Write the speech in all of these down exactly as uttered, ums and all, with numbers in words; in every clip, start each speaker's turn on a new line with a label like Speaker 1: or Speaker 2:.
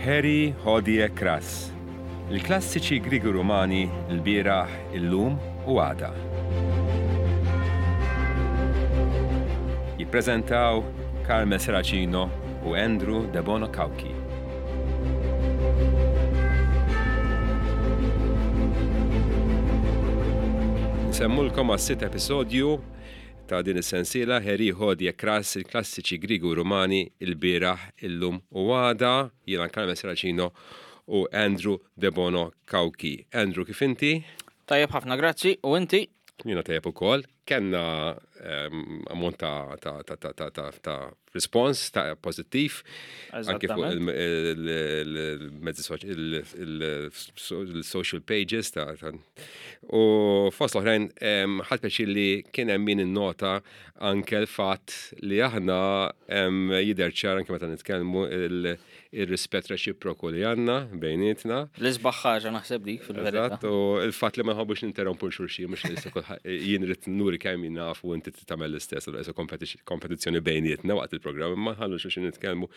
Speaker 1: Heri Hodie Kras. Il-klassiċi Griegi Rumani l-bieraħ, illum u għada. Jippreżentaw Carmel Serracino u Andrew Debono Cauchi. Nsemmulkom għas-sitt episodju ta' din is-sensiela Heri Hodie Kras, il-klassiċi Griegi u Rumani il-bieraħ, illum u għada. Jiena Carmel Serracino u Andrew Debono Cauchi. Andrew, kif inti?
Speaker 2: Tajjeb ħafna, grazzi. U inti?
Speaker 1: Jiena tajjeb ukoll. Kenna, ehm, ammont ta', ta', ta', ta', ta', ta', ta' respons ta' pożittiv. Anke fuq
Speaker 2: Eżattament.
Speaker 1: il-, il-, il-mezzi soċ-, il-, il-, il-social pages ta', ta' u fost l-oħrajn, ehm, ħadt pjaċir li kien hemm min innota anke l-fatt li aħna, ehm, jidher ċar anke meta nitkellmu il-, il-rispett reċiproku li għandna bejnietna.
Speaker 2: L-isbaħ ħaġa naħseb dik fil-verità.
Speaker 1: Eżatt, u l-fatt li ma nħobbux ninterrompu l-xulxin, mhux li issa kulħadd, jien rrid nuri kemm jien naf u inti tagħmel l-istess, allura issa kompetiz-, kompetizzjoni bejnietna waqt il-programm, imma nħallu xulxin nitkellmu.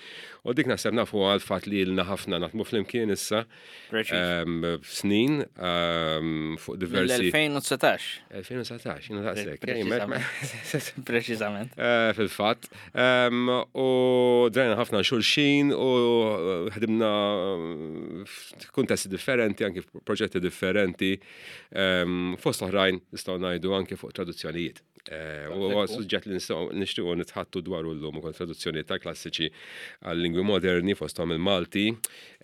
Speaker 1: U dik naħseb nafu għal fatt li ilna ħafna naħdmu flimkien issa,
Speaker 2: Preċiż.
Speaker 1: ehm, snin, ehm, fuq diversi
Speaker 2: Mill-elfejn u dsatax.
Speaker 1: Elfejn u dsatax, jiena daqshekk,
Speaker 2: Pre-
Speaker 1: ej, me-
Speaker 2: preċiżament. Preċiżament.
Speaker 1: Eh, fil-fatt. Ehm, u drajna ħafna xulxin u ħdimna f'kuntesti differenti, anke f'proġetti differenti. Ehm, fost oħrajn nistgħu ngħidu anke fuq traduzzjonijiet. Eh, u huwa
Speaker 2: Ekku.
Speaker 1: suġġett li nistgħu nixtiequ nitħattu dwaru llum ukoll traduzzjonijiet ta' klassiċi għal lingwi moderni fosthom il-Malti.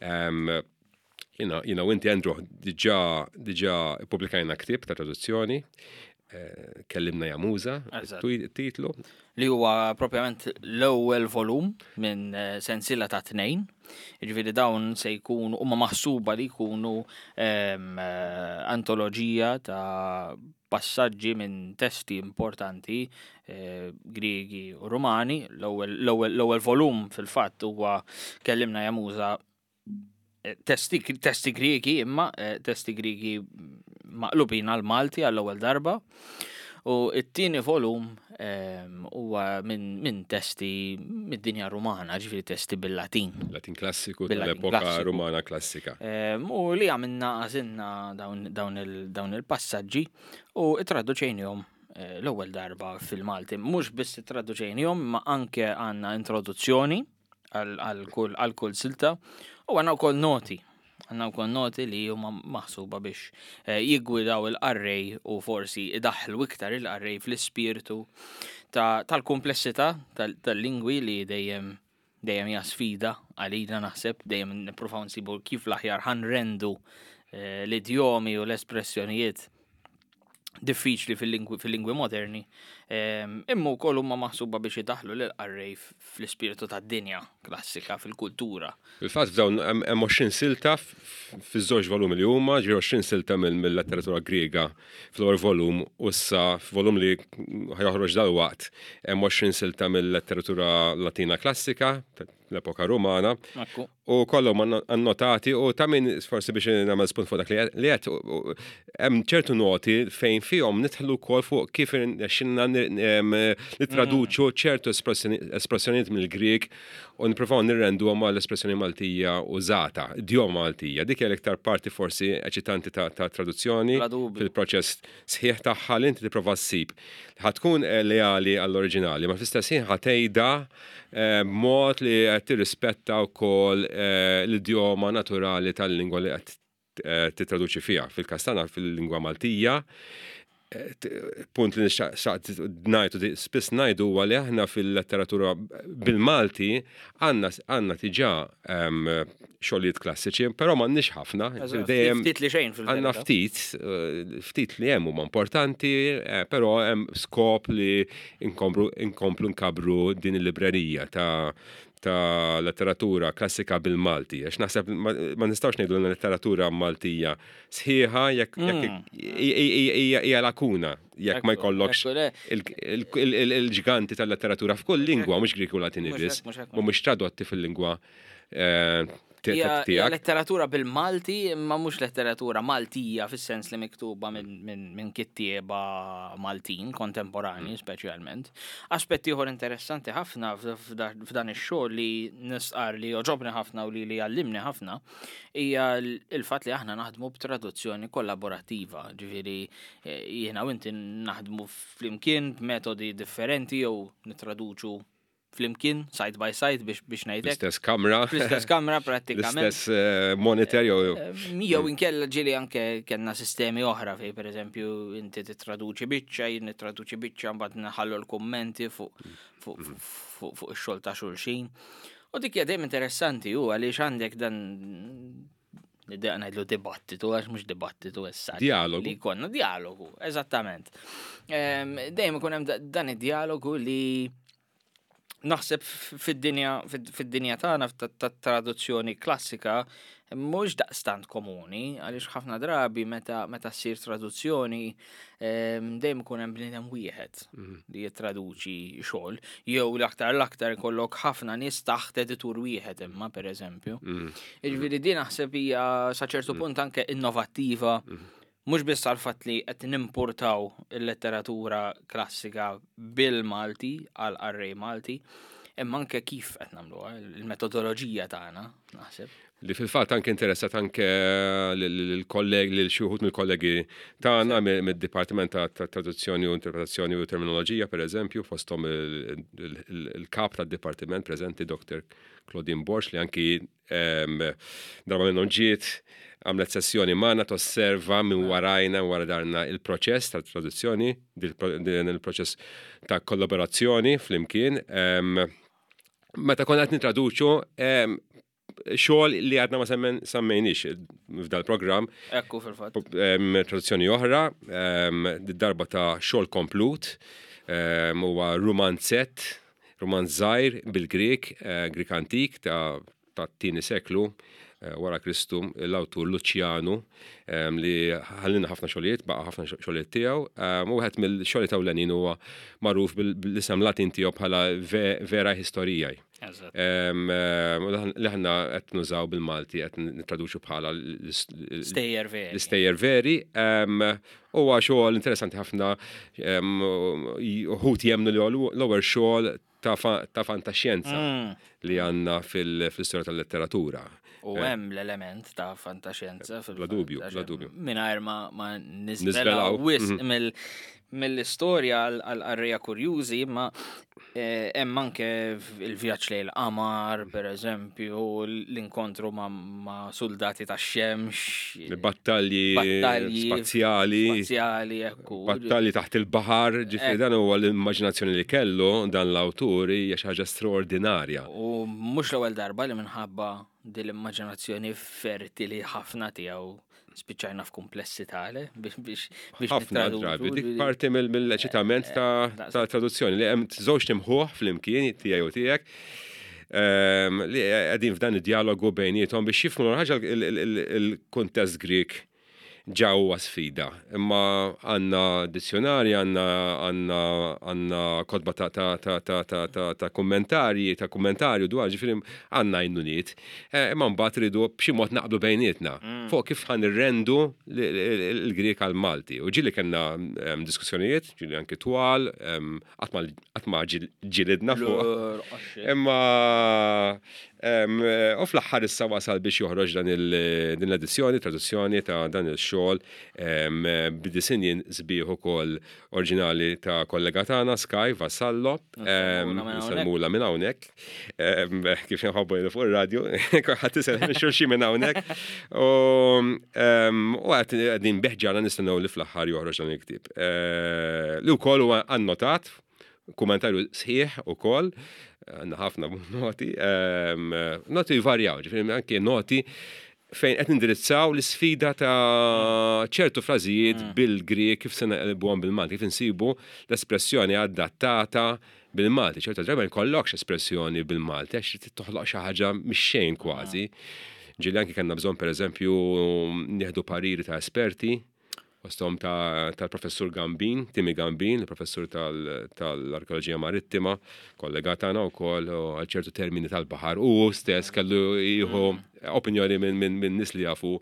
Speaker 1: Ehm, jiena, jiena u inti, Andrew, diġà, diġà ippubblikajna ktieb ta' traduzzjoni. Eh, Kellimna ja Muża,
Speaker 2: Eżatt.
Speaker 1: twi-, titlu.
Speaker 2: Li huwa propjament l-ewwel volum minn, eh, sensiela ta' tnejn. Jiġifieri dawn se jkunu huma maħsuba li jkunu, ehm, eh, antoloġija ta' passaġġi minn testi importanti, eh, Griegi u Rumani. L-ewwel, l-ewwel, l-ewwel volum fil-fatt huwa Kellimna ja Muża, eh, testi, testi Griegi, imma, eh, testi Griegi maqlubin għal Malti għall-ewwel darba. U it-tieni volum, ehm, huwa minn, minn testi mid-dinja Rumana, ġifieri testi bil-Latin.
Speaker 1: Latin klassiku
Speaker 2: Bil-Latin
Speaker 1: tal-epoka
Speaker 2: klassiku.
Speaker 1: Rumana klassika.
Speaker 2: Ehm, u li għamilna għażilna dawn, dawn il-, dawn il-passaġġi u ittraduċejnihom, eh, l-ewwel darba fil-Malti. Mhux biss ittraduċejnihom, ma anke għandna introduzzjoni għal, għal kull, għal kull silta u għandna wkoll noti. Għandna wkoll noti li huma maħsuba biex, eh, jiggwidaw il-qarrej u forsi idaħħlu iktar il-qarrej fl-ispirtu ta-, tal-komplessità tal-, tal-lingwi li dejjem, dejjem hija sfida għalina naħseb, dejjem nippruvaw nsibu kif l-aħjar ħanrendu, eh, l-idjomi u l-espressjonijiet diffiċli fil-lingwi, fil-lingwi moderni. Ehm, imma wkoll huma maħsuba biex idaħħlu lil qarrej f-, fl-ispirtu tad-dinja klassika, fil-kultura.
Speaker 1: Fil-fatt f'dawn hemm, hemm għoxrin silta f-, f-, fiż-żewġ volumi li huma, ġifieri għoxrin silta mill-, mill-letteratura Griega fl-ewwel volum u issa f'volum li ħajoħroġ dalwaqt hemm għoxrin silta mill-letteratura Latina klassika l-epoka Rumana.
Speaker 2: Ekku.
Speaker 1: U kollhom anno-, annotati u ta' min forsi biex nagħmel spunt fuq dak li qed, li qed, u, u, hemm ċertu noti fejn fihom nidħlu wkoll fuq kif irnexxinna nir-, em, nittraduċu ċertu espressjoni, espressjonijiet mill-Grieg u nippruvaw nirrenduhom għall-espressjoni Maltija użata, idjoma Maltija. Dik hija l-iktar parti forsi eċitanti ta', ta' traduzzjoni
Speaker 2: Bla dubju.
Speaker 1: fil-proċess sħiħ tagħha li inti tipprova ssib. Ħa tkun, eh, leali għall-oriġinali, ma fl-istess ħin ħa tgħidha, eh, b'mod li qed tirrispetta wkoll, eh, l-idjoma naturali tal-lingwa li qed, eh, tittraduċi fiha. Fil-każ tagħna fil-lingwa Maltija, eh, t-, punt li nixtaq ngħidu, di-, spiss ngħidu huwa li aħna fil-letteratura bil-Malti għandna, għandna diġà, ehm, xogħlijiet klassiċi, però m'għandniex ħafna.
Speaker 2: Eżatt,
Speaker 1: Dejjem
Speaker 2: ftit li xejn fil-verità.
Speaker 1: Għandna ftit, eh, ftit li hemm huma importanti, eh, però hemm skop li inkomplu, inkomplu nkabru din il-librerija ta', ta' letteratura klassika bil-Malti. Għax naħseb ma, ma nistgħux ngħidu li letteratura Maltija sħiħa jekk, jekk
Speaker 2: Mm.
Speaker 1: i-, i-, i-, hija, hija lakuna, jekk ma
Speaker 2: Ekku,
Speaker 1: jkollokx
Speaker 2: ekku, le.
Speaker 1: il-, il-, il-, il-, il-ġganti tal-letteratura f'kull lingwa, mhux Grieg u Latini
Speaker 2: Mhux
Speaker 1: biss,
Speaker 2: hekk, mhux hekk,
Speaker 1: mhumiex tradotti fil-lingwa, eh, Tiegħek.
Speaker 2: Letteratura bil-Malti, imma mhux letteratura Maltija fis-sens li miktuba minn kittieba Maltin kontemporani mm. speċjalment. Aspetti ieħor interessanti ħafna f'dan ix-xogħol li nistqar li jogħġobni ħafna u li li għallimni ħafna hija il-fatt li aħna naħdmu b'traduzzjoni kollaborattiva, ġifieri eh, jiena u inti naħdmu flimkien b'metodi differenti jew nitraduċu flimkien, side by side biex biex ngħidlek.
Speaker 1: L-istess kamra.
Speaker 2: L-istess kamra prattikament.
Speaker 1: L-istess eh, monitor jew.
Speaker 2: Eh, jew inkella ġieli anke kellna sistemi oħra fej, pereżempju, inti titraduċi biċċa, jien nittraduċi biċċa, mbagħad naħallu l-kummenti fuq fuq fuq ix-xogħol ta' xulxin. U dik hija dejjem interessanti hu għaliex għandek dan, niddeq ngħidlu dibattitu, għax mhux dibattitu issa.
Speaker 1: Dialogu.
Speaker 2: Li konna dialogu, eżattament. Dejjem ikun hemm dan id-dialogu li naħseb fid-dinja fid-dinja tagħna tat-traduzzjoni klassika mhux daqstant komuni, għaliex ħafna drabi meta meta ssir traduzzjoni dejjem ikun hemm bniedem wieħed mhm. li jittraduċi xogħol, jew l-aktar l-aktar ikollok ħafna nies taħt editur wieħed imma, pereżempju. Mhm. Jiġifieri din naħseb hija sa ċertu mhm. punt anke innovattiva, mhux biss għal fatt li qed nimportaw il-letteratura klassika bil-Malti għal qarrej Malti, imma anke kif qed nagħmluha, il-metodoloġija tagħna, naħseb.
Speaker 1: Li fil-fatt anke interessat anke l-kolleg, lil xi wħud mill-kollegi tagħna mid-Dipartiment ta' Traduzzjoni u Interpretazzjoni u Terminoloġija, pereżempju, fosthom il-kap tad-dipartiment preżenti, Doktor Claudine Borg, li anki darba minnhom ġiet għamlet sessjoni magħna tosserva minn warajna, wara darna, il-proċess ta' traduzzjoni, din il-proċess ta' kollaborazzjoni flimkien. Meta konna qed nitraduċu xogħol li għadna ma semmejniex f'dal programm.
Speaker 2: Ekku, fil-fatt.
Speaker 1: Traduzzjoni oħra, darba ta' xogħol komplut, huwa romanzett, romanz żgħir bil-Grek, eh, Grek antik ta' tat-tieni seklu eh, wara Kristu, l-awtur Luċjanu, li ħallina ħafna xogħlijiet, baqa' ħafna xogħlijiet tiegħu. U wieħed mill-xogħlijiet ewlenin huwa magħruf bil-isem Latin tiegħu bħala Verae Historiae. Li aħna qed nużaw bil-Malti, qed nittraduċu bħala
Speaker 2: Stejjer Veri.
Speaker 1: L-Istejjer Veri. Huwa xogħol interessanti ħafna, uħud jemmnu li l-ewwel xogħol ta' fantaxjenza mm. li għandna fil-istorja tal-letteratura.
Speaker 2: U eh. hemm l-element ta' fantaxjenza.
Speaker 1: Bla dubju, bla dubju.
Speaker 2: Mingħajr ma, ma niżvelaw wisq mhm. mill-istorja għal qarrejja kurjużi, ma eh, hemm anke il-vjaġġ lejn il-qamar, per eżempju, l-inkontru ma', ma soldati ta' xemx.
Speaker 1: Battalji spazjali.
Speaker 2: Spazjali, ekku.
Speaker 1: Battalji taħt il-baħar, ġifieri dan huwa l-immaġinazzjoni li kellu dan l-awtur, hija xi ħaġa straordinarja.
Speaker 2: U mhux l-ewwel darba li minħabba din l-immaġinazzjoni fertili ħafna tiegħu spiċċajna f'kumplessità biex biex
Speaker 1: biex ħafna drabi dik parti mill-eċitament ta' ta' traduzzjoni li hemm żewġ imħuħ flimkien, tiegħi u tiegħek, ehm, li qegħdin f'dan id-dialogu bejniethom biex jifhmu ħaġa. Il-kuntest Grek ġa huwa sfida. Imma għandna dizzjonari, għandna għandna għandna kotba ta' ta' ta' ta' ta' ta' ta' kummentarji, ta' kummentarju dwar, ġifieri għandna għajnuniet. Eh, Imma mbagħad ridu b'xi mod naqblu bejnietna fuq kif ħa nirrendu l-Grek għal-Malti. U ġieli kellna em, diskussjonijiet, ġieli anki twal, em, qatt ma qatt ma ġil- ġilidna fuq. Imma em, u fl-aħħar issa wasal biex joħroġ dan il- din l-edizzjoni, traduzzjoni ta' dan il-xogħol em, b'disinjin sbieħ ukoll oriġinali ta' kollega tagħna Sky Vassallo. Em,
Speaker 2: Nsellmula minn hawnhekk.
Speaker 1: Nsellmula minn hawnhekk. Em, Kif nħobbu jgħidu fuq ir-radju, ħadd isellem xulxin minn hawnhekk. U em, u qed qegħdin bil-ħerqa nistennew li fl-aħħar joħroġ dan il-ktieb. Eh, Li wkoll huwa annotat, kummentarju sħiħ ukoll, għandna ħafna noti, em, noti jvarjaw, ġifieri anke noti fejn qed nindirizzaw l-isfida ta' ċertu frażijiet bil-Grek, kif se naqilbuhom bil-Malti, kif insibu l-espressjoni adattata bil-Malti. ċertu drabi ma jkollokx espressjoni bil-Malti għax trid toħloq xi ħaġa mix-xejn kważi. Ġieli anke kellna bżonn, pereżempju, nieħdu pariri ta' esperti Fosthom tal-professur Gambin, Timi Gambin, il-professur tal-arkeoloġija marittima, kollega tagħna wkoll għal ċertu termini tal-baħar, u stess kellu jieħu opinjoni minn nies li jafu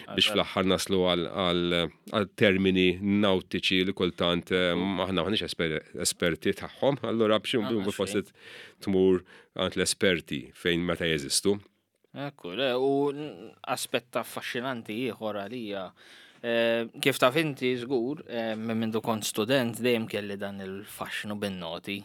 Speaker 1: biex fl-aħħar naslu għal termini nautiċi li kultant eh, aħna maħniex esperti tagħhom, allura biex forsi tmur għand l-esperti fejn meta jeżistu.
Speaker 2: Ekku, u aspett affaxxinanti ieħor għalija. Eh, kif taf inti żgur, eh, minn mindu kont student dejjem kelli dan il-faxxnu bin-noti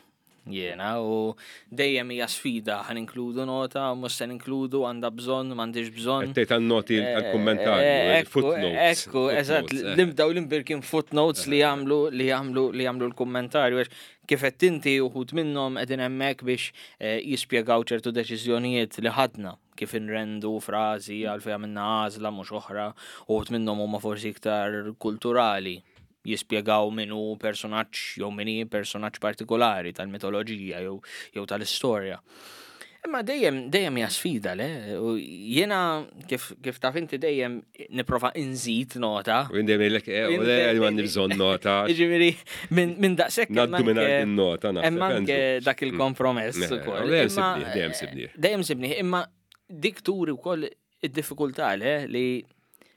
Speaker 2: jiena u dejjem hija sfida, ħa ninkludu nota, mhux se ninkludu, għandha bżonn, m'għandix bżonn.
Speaker 1: Tgħid għan-noti għall-kummentarju,
Speaker 2: eh,
Speaker 1: footnotes.
Speaker 2: Ekku, eżatt, nibdaw l-imbirkin footnotes li jagħmlu li jagħmlu li jagħmlu l-kummentarju għax kif qed inti uħud minnhom qegħdin hemmhekk biex jispjegaw ċertu deċiżjonijiet li ħadna, kif inrendu frażi, għalfejn għamilna għażla mhux oħra, uħud minnhom huma forsi iktar kulturali, jispjegaw min hu personaġġ jew min hi personaġġ partikolari tal-mitoloġija jew jew tal-istorja. Imma dejjem dejjem hija sfida, le? U jiena kif kif taf inti dejjem nipprova inżid nota.
Speaker 1: U jien dejjem ngħidlek, eh, u le, għandi bżonn nota.
Speaker 2: Jiġifieri minn min daqshekk hemm
Speaker 1: Ngħaddu minn
Speaker 2: anke-
Speaker 1: in-nota naħseb.
Speaker 2: Hemm anke
Speaker 1: Andrew.
Speaker 2: dak il-kompromess
Speaker 1: Eh,
Speaker 2: ukoll.
Speaker 1: Dejjem
Speaker 2: Imma,
Speaker 1: sibnieh, dejjem sibnieh.
Speaker 2: Dejjem sibnieh, imma dik turi wkoll id-diffikultà, le, li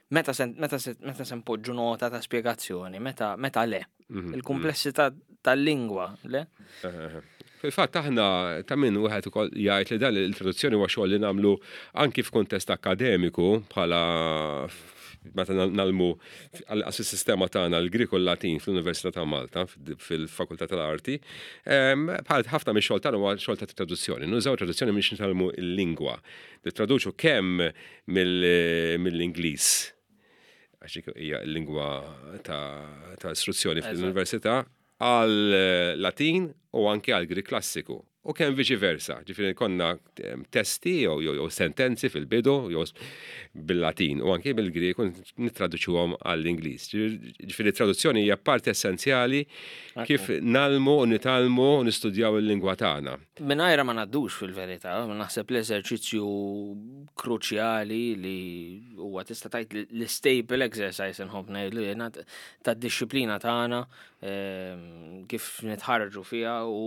Speaker 2: meta se meta se meta se npoġġu nota ta' spjegazzjoni, meta meta le.
Speaker 1: Mhm,
Speaker 2: Il-komplessità tal-lingwa, le?
Speaker 1: Eh, Fil-fatt aħna ta' min wieħed ukoll jgħid li dan il-traduzzjoni huwa xogħol li nagħmlu anki f'kuntest akademiku bħala meta ngħallmu għal sistema tagħna l-Grieg u l-Latin fl-Università ta' Malta fil-Fakultà tal-Arti, bħal ħafna mix-xogħol tagħna huwa xogħol ta' traduzzjoni. Nużaw traduzzjoni biex nitgħallmu l-lingwa. Nittraduċu kemm mill-Ingliż, għax dik hija l-lingwa ta' ta' istruzzjoni fl-università, għal Latin u anke għal Grieg klassiku. U kemm viċi versa, ġifieri konna em, testi jew jew jew sentenzi fil-bidu jew bil-Latin u anke bil-Grieg u nittraduċuhom għall-Ingliż. Ġifieri traduzzjoni hija parti essenzjali kif ngħallmu u nitgħallmu u nistudjaw il-lingwa tagħna.
Speaker 2: Mingħajrha ma ngħaddux fil-verità, naħseb l-eżerċizzju kruċjali li huwa tista' tgħid l-staple exercise, nħobb ngħidlu jiena, tad-dixxiplina tagħna, ehm, kif nitħarġu fiha u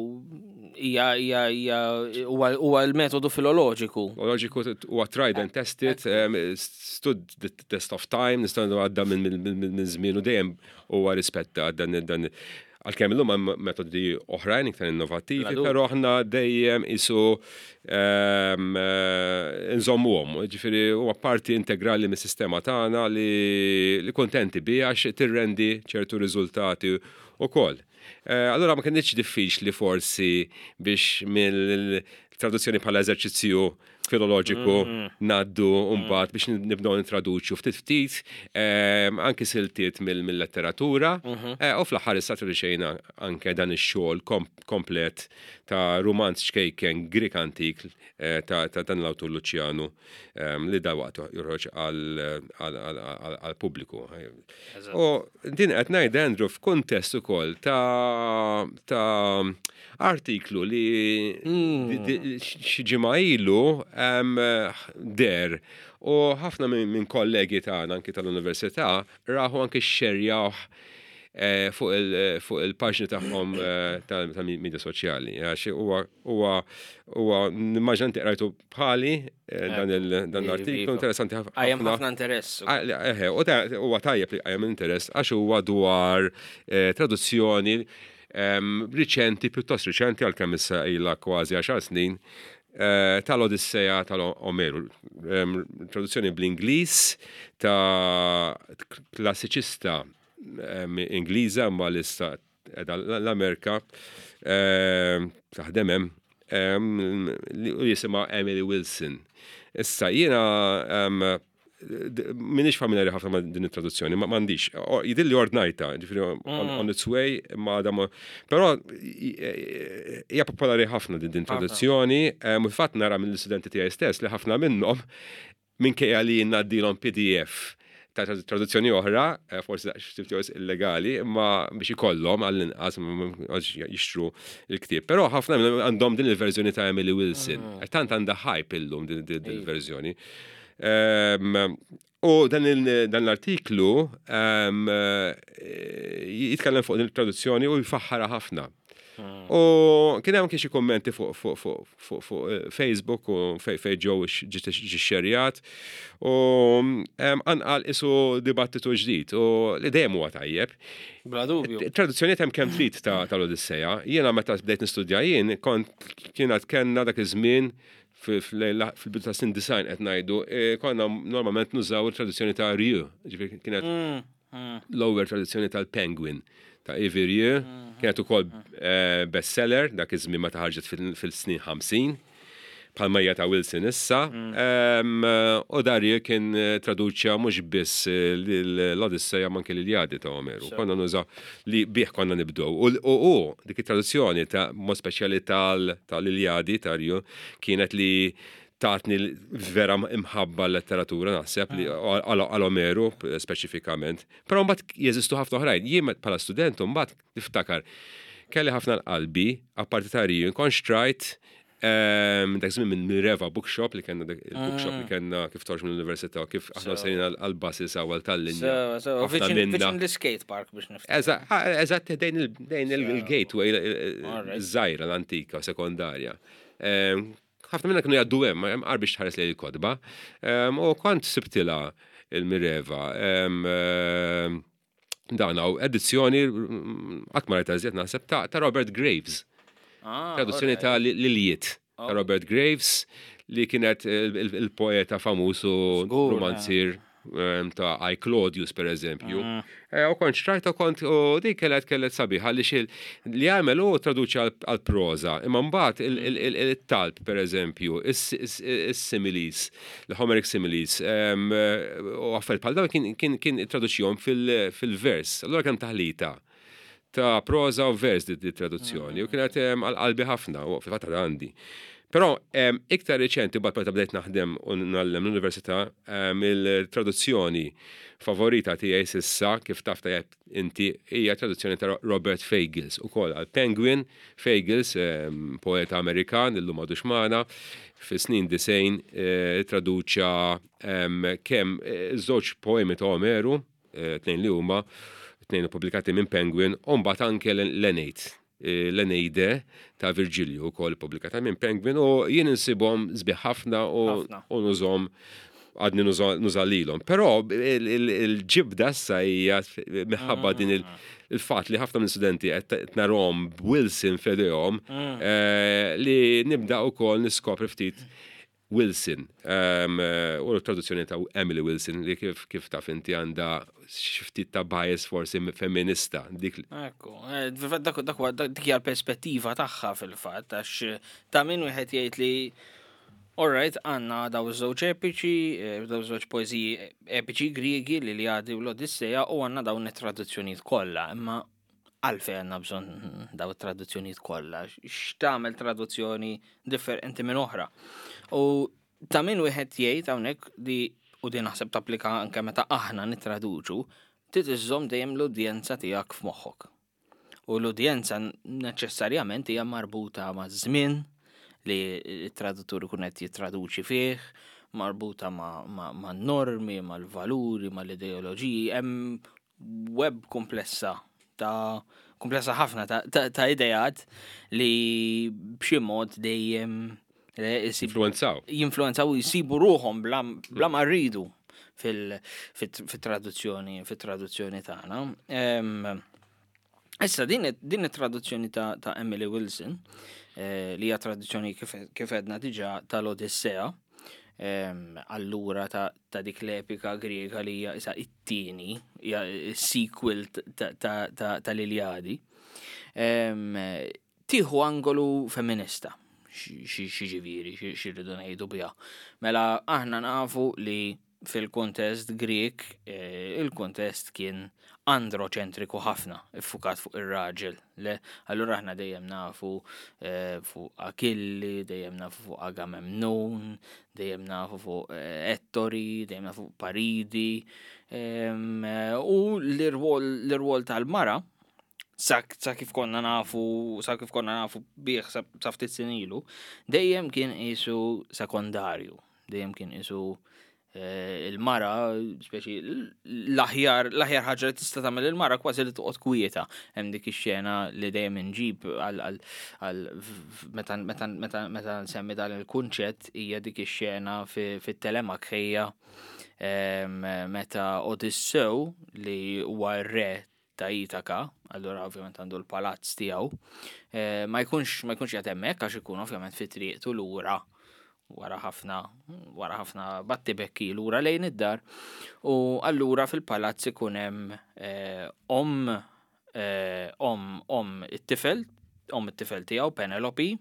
Speaker 2: hija hija hija huwa huwa l-metodu filoloġiku.
Speaker 1: Loġiku huwa tried and tested, um, stood the test of time, nistgħu għadda minn minn- minn żmien u dejjem huwa rispetta dan dan għalkemm illum hemm metodi oħrajn iktar innovattivi,
Speaker 2: Bla dubju.
Speaker 1: però aħna dejjem isu um, eh, nżommuhom, ġifieri huwa parti integrali mis-sistema tagħna li, li kontenti biha għax tirrendi ċertu riżultati ukoll. Eh, Allora ma kienx diffiċli forsi biex mill-traduzzjoni bħala eżerċizzju filoloġiku ngħaddu mbagħad biex nibdew nitraduċu ftit ftit ehm, anki siltiet mill- mill-letteratura eh, u fl-aħħar issa traduċejna anke dan ix-xogħol kom- komplet ta' rumanz ċkejken Grieg antik eh, ta' ta' dan l-awtur Luciano ehm, li dalwaqt joħroġ għal pubbliku. U din qed ngħid, Andrew, f'kuntest ukoll ta' ta' artiklu li di- di- xi ġimgħa ilu em, der u ħafna minn min kollegi tagħna anki tal-università rahu, anki xxerjawh eh, fuq il- fuq il-paġni tagħhom eh, tal-media soċjali. Għax huwa huwa huwa nimmaġina inti qrajtu bħali eh, dan il- dan l-artiklu
Speaker 2: Iva.
Speaker 1: interessanti ħafna.
Speaker 2: Għajem ħafna interess.
Speaker 1: Ah, le, eħe, u ta- huwa tajjeb li qajjem interess għax huwa dwar eh, traduzzjoni em, riċenti, pjuttost riċenti għalkemm issa ilha kważi għaxar snin, eh, tal-Odisseja tal-Omeru. Em, Traduzzjoni bl-Ingliż ta' klassiċista em, Ingliża ma issa qiegħda l-Amerika em, taħdem hemm em, li u jisimha Emily Wilson. Issa jiena em, d- Minix familjari ħafna ma' din it-traduzzjoni, ma m'għandix. O- Jidhirli ordnajtha, ġifieri on, on its way, ma da ma. Però i- hija popolari ħafna din din traduzzjoni, em, u fatt nara mill-istudenti tiegħi stess li ħafna minnhom, minkejja li ngħaddilhom P D F ta' trad- traduzzjoni oħra, eh, forsi daqs illegali, imma biex ikollhom għall-inqas ma jixtru il-ktieb. Però ħafna minnhom għandhom din il-verżjoni ta' Emily Wilson. Tant għandha hype illum din din il-verżjoni. Ehm, U dan l-artiklu jitkellem fuq din il-traduzzjoni u jfaħħara ħafna. Hmm. U kien hemm xi kummenti fuq fuq fuq fuq fuq eh, Facebook u fej fej ġew ġie xerjat u anqal isu dibattitu ġdid u li dejjem huwa tajjeb.
Speaker 2: Bla dubju.
Speaker 1: Traduzzjonijiet hemm kemm trid tal-Odisseja. Jiena meta bdejt nistudja jien kont kienet kellna dak iż-żmien fil-bidu ta' snin disgħin qed ngħidu, eh, konna normalment nużaw il-traduzzjoni ta' Rieu, ġifieri kienet mm, mm. l-ewwel traduzzjoni tal-Penguin ta' Yves Rieu, mm, kienet ukoll eh, bestseller dak iż-żmien meta ħarġet fil-snin ħamsin, bħalma hija ta' Wilson issa, u Rieu kien eh, traduċa mhux biss l-Odisseja ma anke l-Iljadi ta' Omeru. Konna nużaw li bih konna nibdew. U dik it-traduzzjoni ta' mod speċjali tal-Iljadi ta' Rieu kienet li tatni vera imħabba l-letteratura, naħseb li għal Omeru speċifikament. Però mbagħad jeżistu ħafna oħrajn. Jien bħala student mbagħad niftakar kelli ħafna l-qalbi, apparti ta' Rieu, kont xtrajt dak żmien minn Mireva Bookshop li kellna, il-bookshop li kellna kif toħroġ mill-università, kif aħna sejrin għal-buses għal tal-linja.
Speaker 2: Viċin l-skate park biex
Speaker 1: niftakar. Eżatt, dejn il-gateway żgħira l-antika sekondarja. Ħafna minna kienu jgħaddu hemm, hemm biex tħares lejn il-kotba. U kont sibtilha il-Mireva. Dan hawn edizzjoni qatt ma rajtha iżjed naħseb ta' Robert Graves. Ah, traduzzjoni ta' l-Iliad ta' oh. Robert Graves li kienet il-poeta famuż u romanzier ta' I Claudius, per eżempju. Mm. Eh, u kont xtrajt u kont u dik kellet kellet sabiħa li xil li għamel u traduċi għal-proza. Imma mbagħad il-talb, per eżempju, is-similes, l-Homeric similes, u affarijiet bħal dawn kien kien traduċjom fil-vers. Allura kemm taħlita ta' proza u vers di traduzzjoni u kienet għal-qalbi ħafna u fil-fatt għandi. Però iktar reċenti, bat meta bdejt naħdem u ngħallem l-università, il-traduzzjoni favorita tiegħi s'issa, kif taf tajjeb inti, hija traduzzjoni ta' Robert Fagles ukoll għal Penguin. Fagles, poeta Amerikan, illum m'għadux magħna, fi snin disgħin eh, traduċa kemm eh, żewġ poemi ta' Omeru, eh, tnejn li huma, tnejn pubblikati minn Penguin, u mbagħad anke l-Eneid l-Eneide ta' Virgilju ukoll pubblikata minn Penguin u jien insibhom sbieħ ħafna u nużahom, għadni nuża lilhom. Però il-ġibda issa hija minħabba din il-fatt li ħafna minn studenti qed narahom Wilson f'idejhom mm. eh, li nibda wkoll niskopri ftit Wilson u l-traduzzjoni ta' Emily Wilson li kif kif taf inti għandha xi ftit ta' bias forsi femminista.
Speaker 2: Dik. Ekku, eh, dak dak dik hija l-perspettiva tagħha fil-fatt, għax ta' min wieħed jgħid li, alright, għandna daw żewġ epiċi, eh, daw żewġ poeżiji epiċi Griegi, li l-Iljadi u l-Odisseja, u għandna dawn it-traduzzjonijiet kollha, imma għalfejn għandna bżonn daw it-traduzzjonijiet kollha? X'tagħmel traduzzjoni differenti minn oħra? U ta' min wieħed jgħid hawnhekk li, u din naħseb tapplika anke meta aħna nittraduċu, trid iżżomm dejjem l-udjenza tiegħek f'moħħok. U l-udjenza neċessarjament hija marbuta ma' żmien li t-traduttur ikun qed jittraduċi fih, marbuta ma', ma, ma normi, mal-valuri, mal-ideoloġiji, hemm web komplessa ta' komplessa ħafna ta', ta, ta idejat li b'xi mod dejjem
Speaker 1: jinfluenzaw.
Speaker 2: Jinfluenzaw u jsibu ruħhom bla, bla ma rridu fil-traduzzjoni fil-traduzzjoni tagħna. Issa din din it-traduzzjoni ta', ta' Emily Wilson, eh, li hija traduzzjoni kif, kif edna diġà tal-Odissea, allura ta', ta' dik l-epika Griega li hija issa it-tieni, hija sequel tal-Iljadi. Tieħu angolu femminista, xi ġifieri, xi rridu ngħidu biha? Mela aħna nafu li fil-kontest Grek, eh, il-kontest kien androċentriku ħafna, iffukat fuq ir-raġel. Le, allura aħna dejjem nafu eh, fuq Akilli, dejjem nafu fuq Agamemnon, dejjem nafu fuq eh, Ettori, dejjem nafu fuq Paridi. U l-irwol tal-mara, sa, sa kif konna nafu, sa kif konna nafu bih sa, sa ftit snin ilu, dejjem kien isu sekondarju, dejjem kien isu eh, il-mara, speċi l-aħjar l-aħjar ħaġa li tista' tagħmel il-mara kważi li toqgħod kwieta. Hemm dik ix-xena li dejjem inġib għal għal meta meta meta meta nsemmi dan il-kunċett, hija dik ix-xena fit-Telemakħija meta Odissew, li huwa r-re ta' Itaka, allura ovvjament għandu l-palazz tiegħu, eh, ma jkunx ma jkunx qiegħed hemmhekk għax ikun ovvjament fi triqtu lura wara ħafna wara ħafna battibekki lura lejn id-dar, u allura fil-palazz ikun hemm eh, om eh, om om it-tifel om it-tifel tiegħu Penelope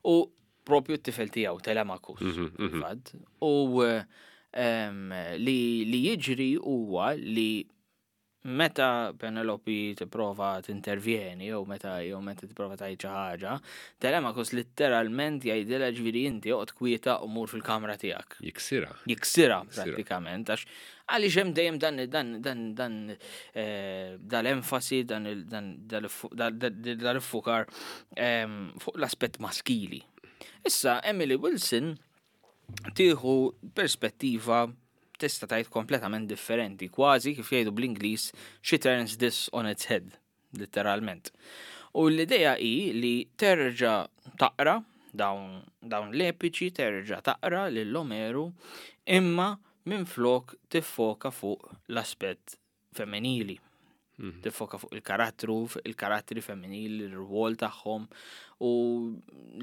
Speaker 2: u propju t-tifel tiegħu Telemachus.
Speaker 1: Mhm, mhm.
Speaker 2: Fil-fatt. U em, li li jiġri huwa li meta Penelope tipprova tintervjeni jew meta jew meta tipprova tgħid xi ħaġa, Telemachus litteralment jgħidilha, ġifieri, "Inti oqgħod kwieta u mur fil-kamra tiegħek."
Speaker 1: Jiksira.
Speaker 2: Jiksira
Speaker 1: Jiksira.
Speaker 2: Prattikament, għax għaliex hemm dejjem dan dan dan dan eh, dal-enfasi, dan il- dan dal-iffukar em, fuq l-aspett maskili. Issa Emily Wilson tieħu perspettiva, tista' tgħid, kompletament differenti, kważi kif jgħidu bl-Ingliż, she turns this on its head, literalment. U l-idea hi li terġa' taqra dawn, dawn l-epiċi, terġa' taqra lil Omeru, imma minflok tiffoka fuq l-aspett femminili. Tiffoka fuq il-karattru, fuq il-karattri femminili, il-rwol tagħhom, u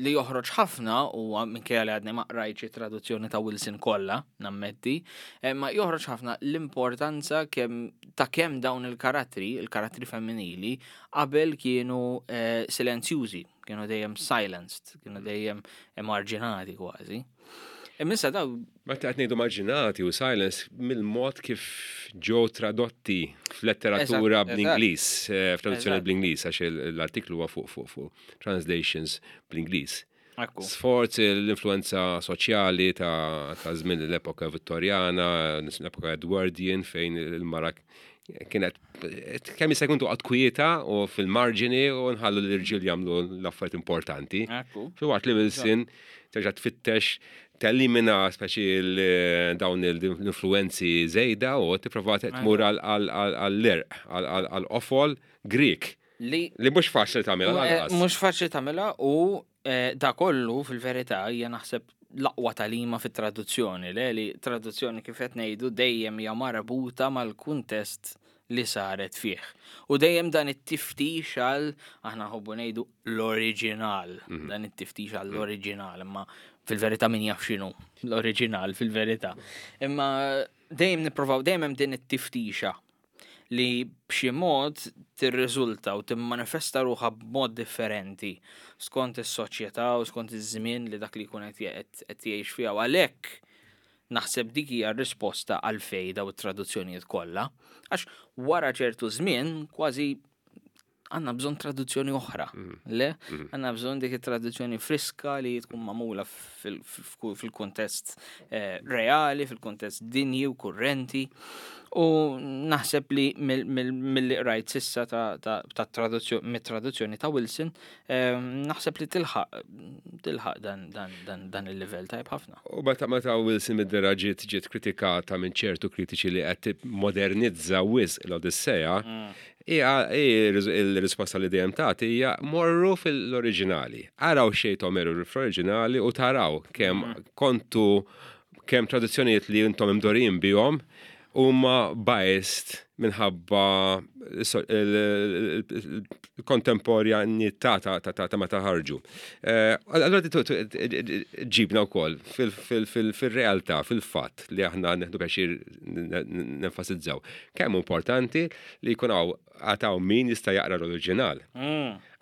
Speaker 2: li joħroġ ħafna u minkejja li għadni ma qrajtx traduzzjoni ta' Wilson kollha, nammetti, eh, ma joħroġ ħafna l-importanza kemm ta' kemm dawn il-karattri, il-karattri femminili, qabel kienu eh, silenzjużi, kienu dejjem silenced, kienu dejjem emarġinati kważi. Imma issa daw
Speaker 1: Meta qed ngħidu marġinati u silence, mill-mod kif ġew tradotti f'letteratura
Speaker 2: Eżatt,
Speaker 1: bl-Ingliż, eh, f'traduzzjoni
Speaker 2: Eżatt.
Speaker 1: bl-Ingliż, għax il- l-artiklu huwa fuq fuq fuq translations bl-Ingliż.
Speaker 2: Ekku.
Speaker 1: Sforz l-influenza soċjali ta' ta' żmien l-epoka Vittorjana, l-epoka Edwardian, fejn il-mara kienet kemm jista' jkun toqgħod kwieta u fil-marġini u nħallu l-irġiel jagħmlu l-affarijiet importanti.
Speaker 2: Ekku.
Speaker 1: Filwaqt li Wilson terġa' tfittex telimina speċi l- dawn l-influenzi żejda u tipprova tmur għall-għerq, għall-qofol Greek.
Speaker 2: Li
Speaker 1: Li mhux faċli tagħmilha
Speaker 2: Eh,
Speaker 1: lanqas.
Speaker 2: Mhux faċli tagħmilha, u eh, da kollu fil-verità hija, naħseb, l-aqwa tagħlima fit-traduzzjoni, le li traduzzjoni, kif qed ngħidu, dejjem hija marbuta mal-kuntest li saret fih. U dejjem dan it-tiftix għal, aħna nħobbu ngħidu, l-oriġinal, dan it-tiftix għall oriġinal, imma fil-verità min jaf x'inhu l-oriġinal fil-verità. Imma dejjem nipprovaw, dejjem hemm din it-tiftixa li b'xi mod tirriżulta u timmanifesta ruħha b'mod differenti skont is-soċjetà u skont iż-żmien li dak li jkun qed qed qed jgħix fiha. U għalhekk naħseb dik hija r-risposta għalfejn daw it-traduzzjonijiet kollha. Għax wara ċertu żmien kważi għandna bżonn traduzzjoni oħra. Le? Għandna bżonn dik it-traduzzjoni friska li tkun magħmula fil- fil- fil-kuntest eh, reali, fil-kuntest dinji u kurrenti. U naħseb li mill- mill- mill-li rajt s'issa ta' ta' ta' traduzzjoni, mit-traduzzjoni ta' Wilson, eh, naħseb li tilħaq tilħaq dan, dan, dan, dan il-livell tajb ħafna.
Speaker 1: U meta meta Wilson mid-dehra ġiet ġiet kritikata minn ċertu kritiċi li qed modernizza wisq l-Odissea, hija il-risposta li dejjem tagħti hija: morru fil-oriġinali. Araw x'jgħid Omeru fl-oriġinali u taraw kemm kontu kemm traduzzjonijiet li intom imdorrijin bihom huma biased minħabba il-kontemporanità ta' ta' ta' meta ħarġu. Eh, Allora ġibna wkoll fil-realtà, fil-fatt li aħna neħdu pjaċir nenfasizzaw kemm importanti li jkun hawn għataw min jista' jaqra l-oriġinal.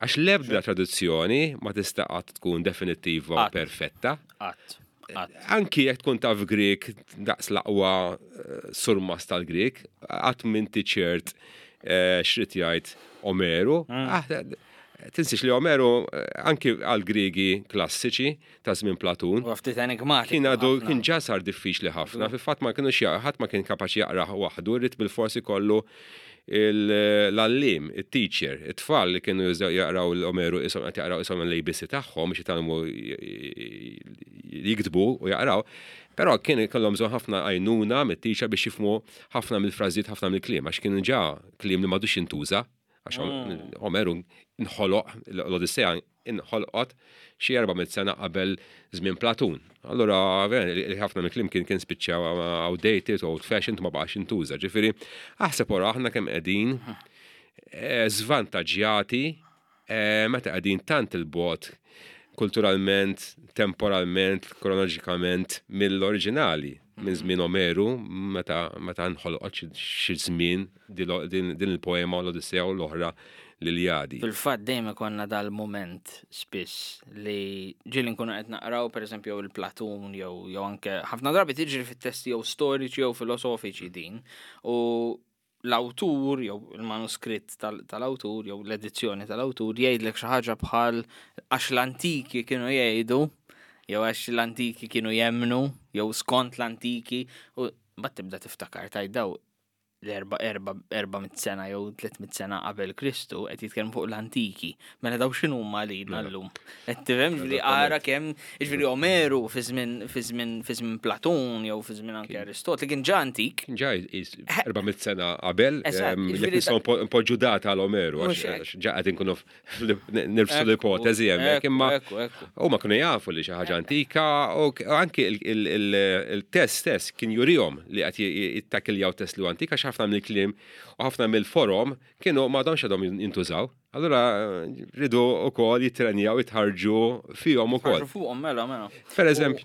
Speaker 1: Għax l-ebda traduzzjoni ma tista' qatt tkun definittiva u
Speaker 2: Qatt.
Speaker 1: perfetta.
Speaker 2: Qatt. Qatt.
Speaker 1: Anki jekk tkun taf Grek daqs l-aqwa eh, surmas tal-Grek, qatt m'inti ċert eh, x'ried jgħid Omeru. Ah, tinsiex li Omeru eh, anki għal Griegi klassiċi ta' żmien Platun
Speaker 2: U ftit enigmatiku
Speaker 1: kien għadu
Speaker 2: ħafna.
Speaker 1: kien ġa sar diffiċli ħafna, fil-fatt ma kienux jaq- ħadd ma kien kapaċi jaqra waħdu, ried bil-forsi kollu l-għalliem, il-teacher, it-tfal li kienu jużaw jaqraw l-Omeru isom qed jaqraw isom l-A B C tagħhom biex jitgħallmu jiktbu u jaqraw, però kien kellhom bżonn ħafna għajnuna mit-teacher biex jifhmu ħafna mill-frażijiet, ħafna mill-kliem, għax kien ġa kliem li m'għadux jintuża, għax Omeru nħoloq, l-Odissea inħolqot xi erba' mitt sena qabel żmien Platun. Allura, ħafna mill-kliem kien kien spiċċa outdated, old fashioned, ma baqax jintuża. Ġifieri, aħseb ora aħna kemm qegħdin eh, żvantaġġjati eh, meta qegħdin tant il-bogħod kulturalment, temporalment, kronoloġikament mill-oriġinali, minn żmien Omeru, meta meta nħolqot xi żmien din il-poema l-Odissea u l-oħra l-Iljadi.
Speaker 2: Fil-fatt dejjem ikonna dal-moment spiss li ġieli nkunu qed naqraw, pereżempju, il-Platun jew jew anke ħafna drabi tiġri fit-testi jew storiċi jew filosofiċi din, u l-awtur jew il-manuskritt tal-awtur jew l-edizzjoni tal-awtur jgħidlek xi ħaġa bħal "għax l-antiki kienu jgħidu" jew "għax l-antiki kienu jemnu" jew "skont l-antiki", u mbagħad tibda tiftakar tgħid daw l-erba erba erba mitt sena jew tliet mitt sena qabel Kristu qed jitkellmu fuq l-antiki. Mela daw x'inhu huma lilna llum? Qed tifhem li ara kemm, jiġifieri, Omeru fi żmien fi żmien fi żmien Platun jew fi żmien anke Aristotli kien ġa antik.
Speaker 1: Kien ġa erba' mitt sena qabel, jekk nistgħu npoġġu data għal Omeru, għax ġa qed inkunu nirfsu l-ipotezi hemmhekk, imma huma kienu jafu li xi ħaġa antika u anki il-test stess kien jurihom li qed jittakiljaw test li antika, għax ħafna mill-kliem u ħafna mill-forom kienu m'għadhomx għadhom jintużaw. Allura ridu wkoll jitrenjaw, jitħarġu fihom ukoll.
Speaker 2: Fuqhom, mela, mela.
Speaker 1: Per eżempju,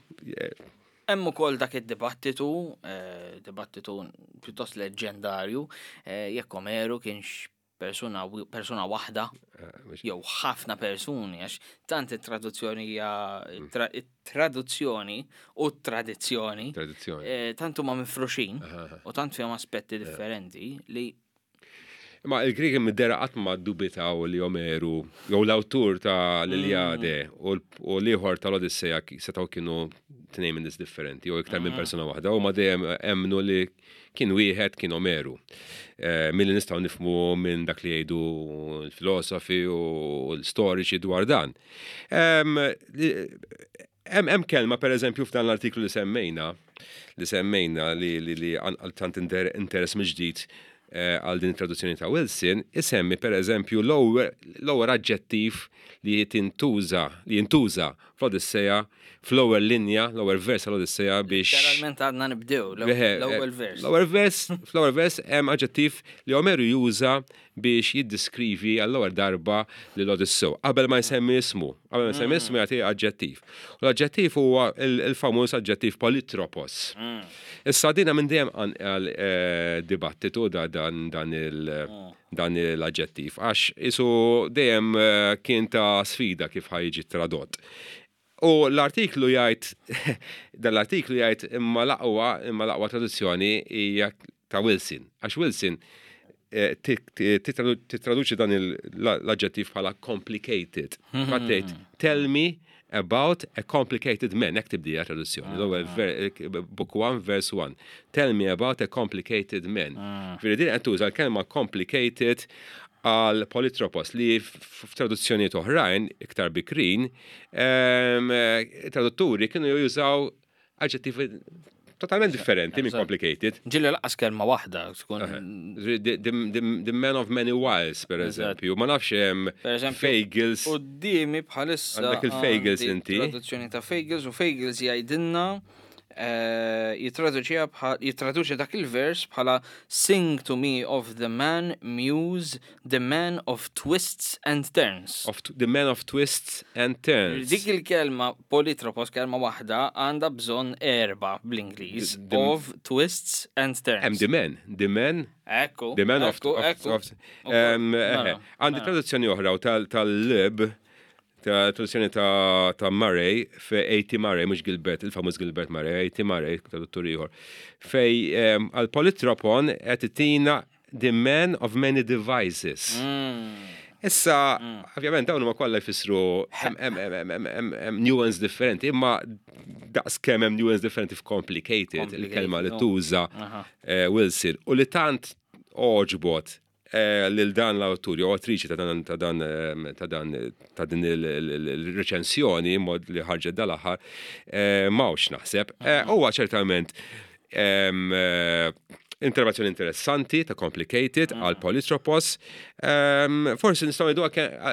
Speaker 2: Hemm ukoll dak id-dibattitu, eh, dibattitu pjuttost leġendarju, eh, jekk Omeru kienx persuna persuna waħda eh, jew ħafna persuni, għax tant it-traduzzjoni hija mm. it-traduzzjoni u t-tradizzjoni tant huma mifruxin u tant fihom aspetti differenti li
Speaker 1: Ma il-Griegi mid-dera qatt ma dubitaw li Omeru jew l-awtur ta' l-Iliade u l-ieħor tal-Odissea setgħu kienu tnejn minn nies differenti jew iktar minn persuna waħda, u ma dejjem emmnu li kien wieħed, kien Omeru. Eh, Milli nistgħu nifhmu minn dak li jgħidu l-filosofi u l-storiċi dwar dan. Em, li- Hemm hemm kelma, pereżempju, f'dan l-artiklu li semmejna li semmejna li li li għal tant inter- interess mill-ġdid eh, għal din it-traduzzjoni ta' Wilson, isemmi pereżempju l-ewwel l-ewwel aġġettiv li tintuża li jintuża fl-Odissea, fl-ewwel linja, l-ewwel vers tal-Odissea biex
Speaker 2: Literalment għadna nibdew
Speaker 1: Eħe,
Speaker 2: l-ewwel
Speaker 1: eh,
Speaker 2: vers.
Speaker 1: L-ewwel vers, fl-ewwel vers hemm aġġettiv li Omeru juża biex jiddiskrivi għall-ewwel darba lil Odissew. Qabel ma jsemmi ismu, qabel ma jsemmi ismu jagħti aġġettiv. U l-aġġettiv huwa il- il-famuż aġġettiv polytropos. Issa dina minn dejjem għal eh, dibattitu da dan dan il dan l-aġġettiv, għax isu dejjem eh, kien ta' sfida kif ħa jiġi tradott. U l-artiklu jgħid, dan l-artiklu jgħid imma l-aqwa, imma l-aqwa traduzzjoni hija ta' Wilson. Għax Wilson eh, ti- ti- titradu- titraduċi dan il- l-aġġettiv bħala complicated. Fattejt, "Tell me about a complicated man", hekk tibdija traduzzjoni. L-ewwel ver- book one, verse one. "Tell me about a complicated man." Ġifieri din qed tuża l-kelma complicated għal polytropos li f- f'traduzzjonijiet oħrajn iktar bikrin, em, eh, tradutturi kienu jużaw aġġettivi totalment differenti minn
Speaker 2: Eżatt.
Speaker 1: complicated.
Speaker 2: Ġieli lanqas kelma waħda tkun.
Speaker 1: The, the, the, the man of many wiles, per
Speaker 2: Eżatt.
Speaker 1: eżempju. Ma nafx hemm
Speaker 2: Per eżempju,
Speaker 1: Fagles.
Speaker 2: Qudiemi bħalissa
Speaker 1: Għandek il-Fagles
Speaker 2: għandi
Speaker 1: inti.
Speaker 2: traduzzjoni ta' Fagles, u Fagles jgħidilna, eh, jitraduċiha bħal jitraduċi dak il-vers bħala "Sing to me of the man muse, the man of twists and turns."
Speaker 1: Of the man of twists and turns.
Speaker 2: Dik il-kelma polytropos, kelma waħda, għandha bżonn erba bl-Ingliż.
Speaker 1: The- the-
Speaker 2: Of twists and turns.
Speaker 1: Hemm the man, the man,
Speaker 2: Ekku.
Speaker 1: the man of,
Speaker 2: ekku,
Speaker 1: of,
Speaker 2: ekku.
Speaker 1: of um,
Speaker 2: Mela,
Speaker 1: eħe. Għandi
Speaker 2: mela.
Speaker 1: traduzzjoni oħra u tal- tal-lib ta' traduzzjoni ta' ta' Murray, fe A T. Murray, mhux Gilbert, il-famuż Gilbert Murray, A T. Murray, traduttur ieħor. Fej um, għal polytropon qed itina "the man of many devices".
Speaker 2: Mm.
Speaker 1: Issa, ovvjament, dawn huma kollha jfissru hemm- hemm- hemm- hemm- hemm- hemm nuance differenti, imma daqs kemm hemm nuance differenti f'complicated, il-kelma li
Speaker 2: Complicated,
Speaker 1: tuża
Speaker 2: Aha.
Speaker 1: eh, Wilson, u li tant oġbot eh, lil dan l-awtur jew awtriċi ta' dan ta' dan eh, ta' dan ta' din il-reċensjoni mod li ħarġet dal-aħħar eh, m'hawnx naħseb. Eh, Huwa ċertament em, eh, interpretazzjoni interessanti ta' complicated għal polytropos. Um, forsi nistgħu ngħidu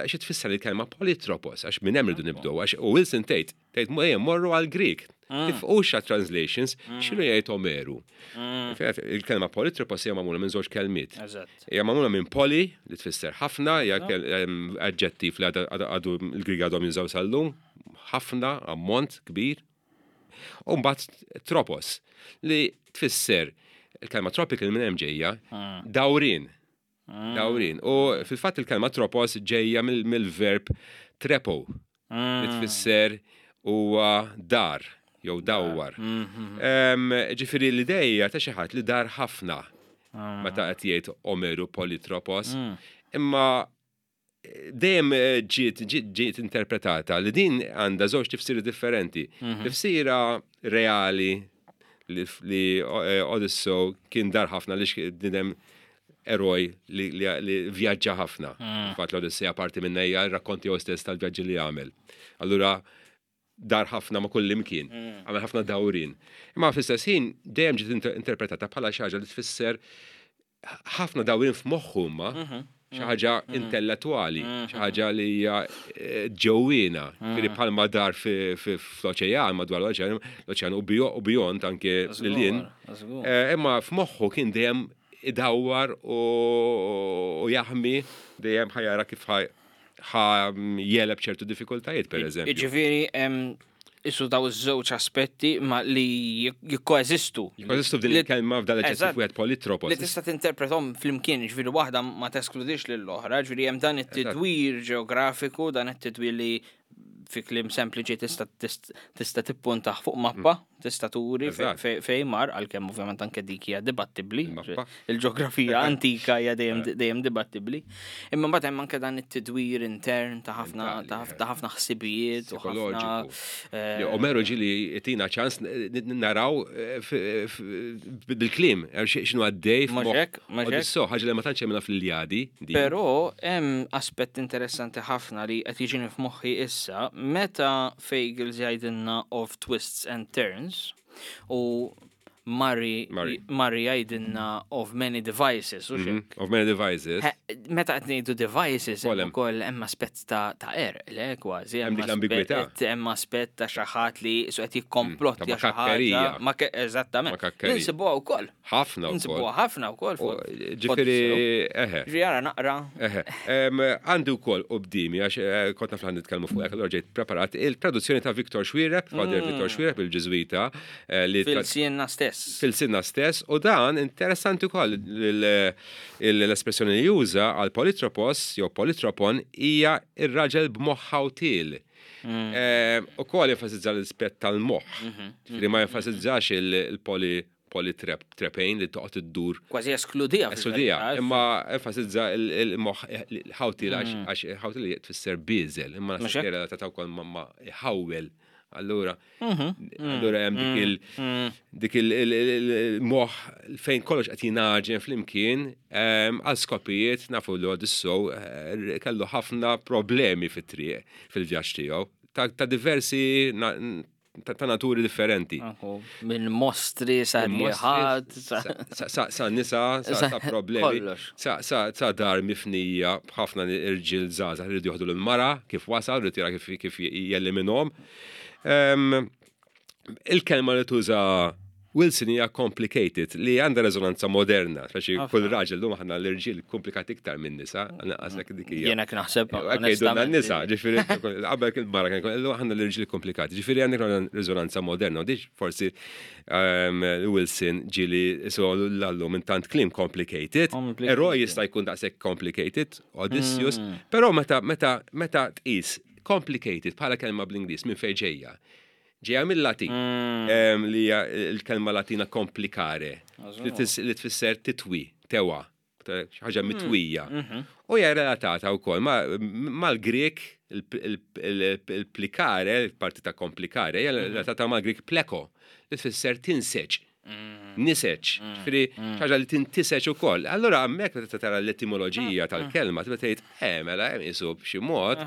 Speaker 1: xi tfisser il-kelma polytropos, għax minn hemm irridu nibdew, għax u Wilson tgħid, tgħid ejja morru għal Greek. Tifqux għat translations, x'inhu jgħid Omeru. Il-kelma polytropos hija magħmula minn żewġ kelmiet.
Speaker 2: Eżatt.
Speaker 1: Hija magħmula minn poli, li tfisser ħafna, hija kel- em, aġġettiv li għadu għadu il-Grieg għadhom jużaw sal-lum, ħafna, ammont kbir. U mbagħad tropos, li tfisser il-kelma tropical minn hemm ġejja, dawrin. Dawrin. U fil-fatt il-kelma tropos ġejja mill- mill-verb trepo, li tfisser huwa dar jew dawwar. Em, Ġifieri l-ideja ta' xi ħadd li dar ħafna meta qed jgħid Omeru polytropos. Imma dejjem eh, ġiet ġiet ġiet interpretata li din għandha żewġ tifsiri differenti. Tifsira reali li, li eh, Odyssew kien dar ħafna li bniedem eroj li, li, li vjaġġa ħafna. Fatt l-Odissea parti minn hija rakkonti jew stess tal-vjaġġi li għamel. Allura dar ħafna ma' kull imkien, għamel ħafna dawrin. Imma fl-istess ħin dejjem ġiet inter- interpretata bħala xi ħaġa li tfisser ħafna dawrin f'moħħu ma xi ħaġa intellettwali, xi ħaġa li hija eh, ġewwiena, ġifieri bħalma dar fi- fi- fl-oċean, madwar l-oċean, l-oċean u bio- u beyond anke lil
Speaker 2: Żgur.
Speaker 1: Eh, Imma f'moħħu kien dejjem idawwar u u jaħmi dejjem ħa jara kif ħa ħa jegħleb ċertu diffikultajiet, per eżempju.
Speaker 2: Jiġifieri, em, isu daw iż-żewġ aspetti ma li jikkoeżistu.
Speaker 1: Jikkoeżistu f'din
Speaker 2: Li-
Speaker 1: il-kelma f'dan l-aġġettiv
Speaker 2: Eżatt.
Speaker 1: wieħed polytropos.
Speaker 2: Li tista' tinterpretom flimkien, ġifieri waħda ma teskludix lill-oħra, ġifieri hemm dan it-tidwir ġeografiku, dan it-tidwir li fi kliem sempliċi tista' tist- tista' tippuntaħ fuq mappa, tista' turi fe-
Speaker 1: Eżatt.
Speaker 2: fe- fejn mar, għalkemm ovvjament anke dik hija dibattibbli.
Speaker 1: Il-mappa.
Speaker 2: Il-ġeografija antika hija dejjem dejjem dibattibbli. Imma mbagħad hemm anke dan it-tidwir intern ta' ħafna ta'
Speaker 1: Mentali,
Speaker 2: ta' ħafna ħsibijiet u ħafna
Speaker 1: Psikoloġiku.
Speaker 2: eh,
Speaker 1: Li Omeru ġili jtina ċans n- n- naraw eh, f- f- bil-kliem, eh, xi- x'inhu għaddej
Speaker 2: Mhux
Speaker 1: f'moħħ
Speaker 2: hekk, mhux hekk.
Speaker 1: Odisseo, ħaġa li ma tantx hemmna fl-Iljadi. din.
Speaker 2: Però hemm aspett interessanti ħafna li qed jiġini f'moħħi issa meta Fagles jgħidilna of twists and turns u Murray
Speaker 1: Murray.
Speaker 2: Murray jgħidilna of many devices u
Speaker 1: Mhm,
Speaker 2: xek.
Speaker 1: Of many devices.
Speaker 2: He, Meta qed ngħidu devices hemm
Speaker 1: Ukoll hemm.
Speaker 2: ukoll hemm aspett ta' ta' er, le kważi
Speaker 1: Hemm dik l-ambigwità.
Speaker 2: aspett- Hemm aspett ta' xi ħadd li su qed jikkomplotti
Speaker 1: Mm, ta'
Speaker 2: xi ħaġa.
Speaker 1: makakkerija.
Speaker 2: Ma ke- Eżattament.
Speaker 1: Makakkerija.
Speaker 2: Ninsibuha wkoll.
Speaker 1: Ħafna wkoll.
Speaker 2: Ninsibuha ħafna wkoll.
Speaker 1: U,
Speaker 2: fuq-
Speaker 1: Ġifieri, eħe.
Speaker 2: Ġifieri ara naqra.
Speaker 1: Eħe, em, għandi wkoll quddiemi, għax eh, kont naf li nitkellmu fuq hekk, allura ġejt preparat il-traduzzjoni ta' Victor Xuereb, Father Victor Xuereb, il-Ġiżwita, eh, li tra-
Speaker 2: F'ilsienna stess.
Speaker 1: f'ilsienna stess, u dan interessanti wkoll l- l- l-espressjoni li juża għal polytropos jew polytropon hija ir-raġel b'moħħ ħawtil. U kol jenfasizza l-aspett tal-moħħ, li ma jenfasizzax il-poli polytrepane li toqgħod iddur
Speaker 2: Kważi eskludija.
Speaker 1: Eskludija, imma enfasizza il-moħħ ħawtil għax ħawtil li tfisser biżel, imma
Speaker 2: Mhux
Speaker 1: naħseb
Speaker 2: hekk?
Speaker 1: relatata wkoll ma ma ħawel. Allura, allura hemm dik il dik il-moħħ fejn kollox qed jingħaġen flimkien em, għal skopijiet nafu li Odissew eh, kellu ħafna problemi fit-triq fil-vjaġġ tiegħu ta' ta' diversi na- ta' ta' naturi differenti.
Speaker 2: Minn mostri sa rieħat.
Speaker 1: Sa- sa- sa- Sa nisa, sa
Speaker 2: Sa-
Speaker 1: sa problemi.
Speaker 2: kollox.
Speaker 1: Sa sa sa dar mifnija b'ħafna irġiel żgħażagħ rridu joħdu l-mara kif wasal, rridu jara kif kif jelliminhom. Em, Il-kelma li tuża Wilson hija complicated li għandha rezonanza moderna, speċi kull raġel lum aħna l-irġiel komplikati iktar minn nisa, għasek dik hija.
Speaker 2: Jiena naħseb.
Speaker 1: Għedunna
Speaker 2: onestament.
Speaker 1: n-nisa, ġifieri, qabel kien mara kien illum aħna l-irġiel komplikati, ġifieri għandek rezonanza moderna, u diġ forsi um, Wilson ġili so l-allu minn tant kliem complicated,
Speaker 2: Complicated.
Speaker 1: eroj jista' jkun daqshekk complicated, Odysseus, però meta meta meta tqis complicated bħala kelma bl-Ingliż minn fejn ġejja. Ġejja mill-Latin, em, li hija l-kelma Latina complicare, li tis- li tfisser titwi, tewa, ta' xi ħaġa mitwija. U hija relatata wkoll ma- mal-Grek il-plicare, il-parti ta' complicare, hija relatata mal-Grek pleko, li tfisser tinseġ. Niseġ, ġifieri ħaġa li tintiseġ ukoll. Allura hemmhekk meta tara l-etimoloġija tal-kelma, tibda tgħid, eh, mela hemm isu b'xi mod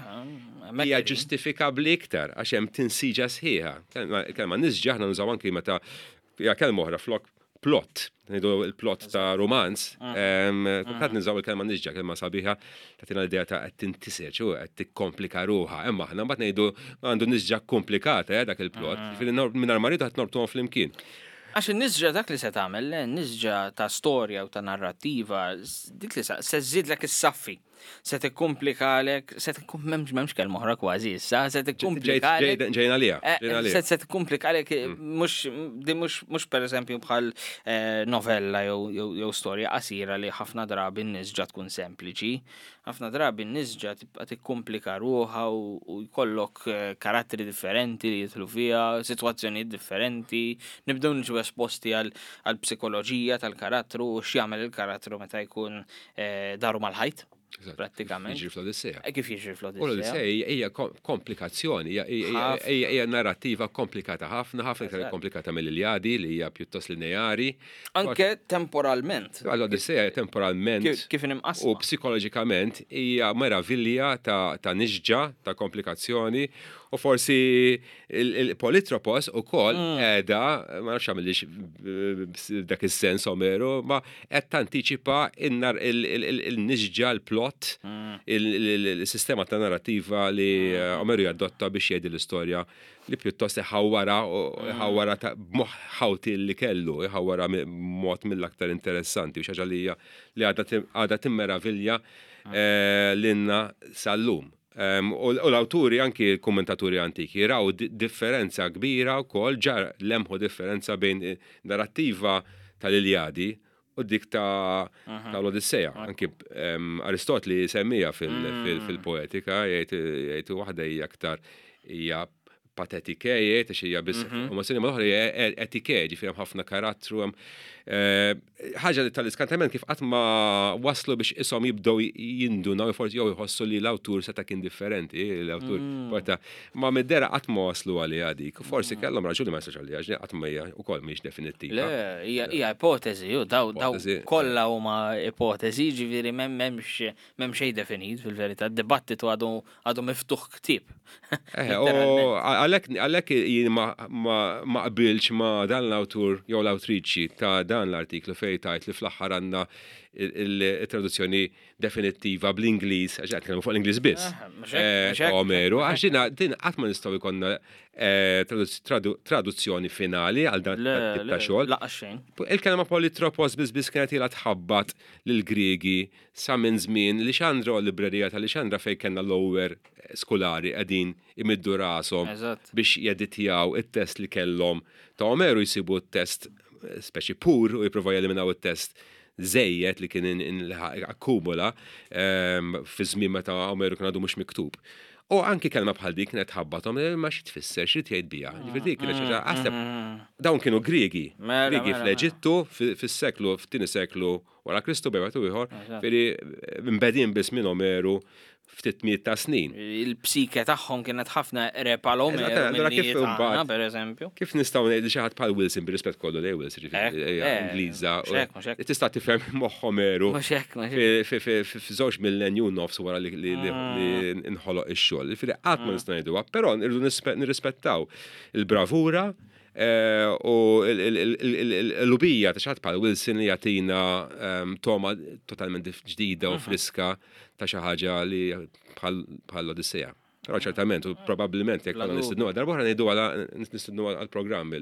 Speaker 1: hija ġustifikabbli iktar għax hemm tinsiġa sħiħa. Kelma- Kelma nisġa aħna nużaw anki meta hija kelma oħra flok plot, ngħidu il-plot ta' romanz, kultant nużaw il-kelma nisġa, kelma sabiħa, tagħtina l-idea ta' qed tintiseġ u qed tikkomplika ruħha. Imma aħna mbagħad ngħidu għandu nisġa komplikata eh, dak il-plot, ġifieri mingħajr ma rridu qed norbtuhom flimkien.
Speaker 2: Għax in-nisġa dak li se tagħmel, le, nisġa ta' storja u ta' narrattiva, s- dik li sa- se żżidlek is-saffi. Se tikkumplikalek, se tikkum m'hemmx m'hemmx kelma oħra kważi issa, se tikkumplikalek.
Speaker 1: Ġejna lija,
Speaker 2: Eh,
Speaker 1: ġejna lija.
Speaker 2: Se se tikkumplikalek mhux di mhux mhux pereżempju bħal eh, novella jew jew jew storja qasira li ħafna drabi n-nisġa tkun sempliċi. Ħafna drabi n-nisġa tibqa' tikkumplika ruħha u u jkollok eh, karattri differenti li jidħlu fiha, sitwazzjonijiet differenti, nibdew niġu esposti għal għal psikoloġija tal-karattru u x'jagħmel il-karattru meta jkun eh, daru mal-ħajt.
Speaker 1: Eżatt.
Speaker 2: Prattikament.
Speaker 1: Jiġri fl-Odissea.
Speaker 2: Eh, Kif jiġri
Speaker 1: U
Speaker 2: fl-Odissea?
Speaker 1: l-Odissea hija hija kom- komplikazzjoni, hija- hija
Speaker 2: Ħafna.
Speaker 1: hija hija narrattiva komplikata ħafna, ħafna iktar
Speaker 2: Eżatt.
Speaker 1: komplikata mill-Iljadi li hija pjuttost lineari.
Speaker 2: Anke temporalment.
Speaker 1: L-Odissea temporalment
Speaker 2: Kif kif imqassma.
Speaker 1: u psikoloġikament hija meravilja ta', ta' nisġa, ta' komplikazzjoni u forsi il-Politropos ukoll
Speaker 2: Mm.
Speaker 1: qiegħda, ma nafx għamilix dak is-sens Omeru, ma qed tantiċipa in-nar il-nisġa, il-plot,
Speaker 2: Mm.
Speaker 1: il-sistema ta' narrativa li eh, Omeru jadotta biex jgħid l-istorja li pjuttost iħawwara u iħawwara ta' b'moħħ ħawti li kellu, iħawwara mi- mod mill-aktar interessanti u xi ħaġa li hija li għadha tim- għadha timmeravilja eh, lilna sal-lum. Em, U u l-awturi, anki l-kommentaturi antiki, raw di- differenza kbira u kol ġar lemħu differenza bejn eh, narrattiva tal-Iljadi u dik ta' tal-Odissea. Anki em, Aristotli semmija fil- fil- fil-poetika, jgħid jgħid waħda hija aktar hija patetike, jgħid għax hija biss emozzjoni, ma l-oħra hija e- etike, ġifieri hemm ħafna karattru, hemm eh, ħaġa li tal-iskantament kif qatt ma waslu biex ishom jibdew jindunaw forsi jew jħossu li l-awtur seta' kien differenti, l-awtur poeta, ma mid-dera qatt ma waslu għaliha dik. Forsi kellhom raġuni ma jistax għaliha, għax qatt ma hija wkoll mhix definittiva.
Speaker 2: Le, hija hija ipotezi, ju, daw daw
Speaker 1: Ipotezi.
Speaker 2: kollha huma ipotezi, ġifieri m'hemm m'hemmx m'hemm xejn definit fil-verità, d-dibattitu għadu għadu miftuħ ktieb.
Speaker 1: Eh, u għalhekk għalhekk jien ma, ma, ma qbilx ma dan l-awtur jew l-awtriċi ta' dan l-artiklu fejn tajt li fl-aħħar għandna il-traduzzjoni definittiva bl-Ingliż, għax qed nitkellmu fuq l-Ingliż biss.
Speaker 2: Ah, mhux hekk,
Speaker 1: Eh,
Speaker 2: mhux hekk,
Speaker 1: Omeru, għax dina din qatt ma nistgħu jkollna eh, traduz- tradu- traduzzjoni finali għal dan
Speaker 2: Le,
Speaker 1: tip
Speaker 2: le,
Speaker 1: ta' xogħol.
Speaker 2: laqas xejn.
Speaker 1: Il-kelma politropos biss biss kienet ilha tħabbat lill-Griegi sa minn żmien Lixandra u l-librerija ta' Lixandra fejn kellna l-lower skolari qegħdin imiddu rashom
Speaker 2: Eżatt.
Speaker 1: biex jeditjaw it-test li kellhom ta' Omeru, jsibu t-test eh, speċi pur u jipprovaw jeliminaw it-test żejjed li kien in- in- akkumula ehm, fi żmien meta Omeru kien għadu mhux miktub. U anki kelma bħal dik kienet ħabbathom, eh, ma xi tfisser, xi tgħid biha. Ġifieri dik kienet xi ħaġa aħseb dawn kienu Griegi.
Speaker 2: Mela,
Speaker 1: Griegi
Speaker 2: mela,
Speaker 1: fl-Eġittu fis-seklu, f'tieni seklu wara Kristu bejn wieħed u ieħor, ġifieri mbedin biss minn Omeru ftit miet ta' snin.
Speaker 2: Il-psike tagħhom kienet ħafna eqreb għal Omeru
Speaker 1: Eżatt, allura
Speaker 2: milli
Speaker 1: kif
Speaker 2: tagħna,
Speaker 1: imbagħad-
Speaker 2: per eżempju.
Speaker 1: Kif nistgħu ngħidu xi ħadd bħal Wilson, bir-rispett kollu lej Wilson, ġifieri
Speaker 2: Ek,
Speaker 1: hija
Speaker 2: eh,
Speaker 1: Ingliża,
Speaker 2: mhux hekk, mhux hekk.
Speaker 1: Tista' tifhem moħħ Omeru
Speaker 2: Mhux hekk, mhux hekk.
Speaker 1: fi- fi- fi- f'żewġ millenju u nofs wara li li- li li nħoloq ix-xogħol. Ġifieri qatt ma nistgħu ngħiduha, però nirridu nispe- nirrispettaw il-bravura eh, u l-lubija ta' xi ħadd bħal Wilson li jagħtina ehm, toma totalment dif- ġdida u friska ta' xi ħaġa li bħal bħal l-Odissea. Però ċertament, u probabbilment jekk
Speaker 2: Bla
Speaker 1: konna
Speaker 2: dubju.
Speaker 1: nistednu darba oħra ngħidu għala nistednu għall-programm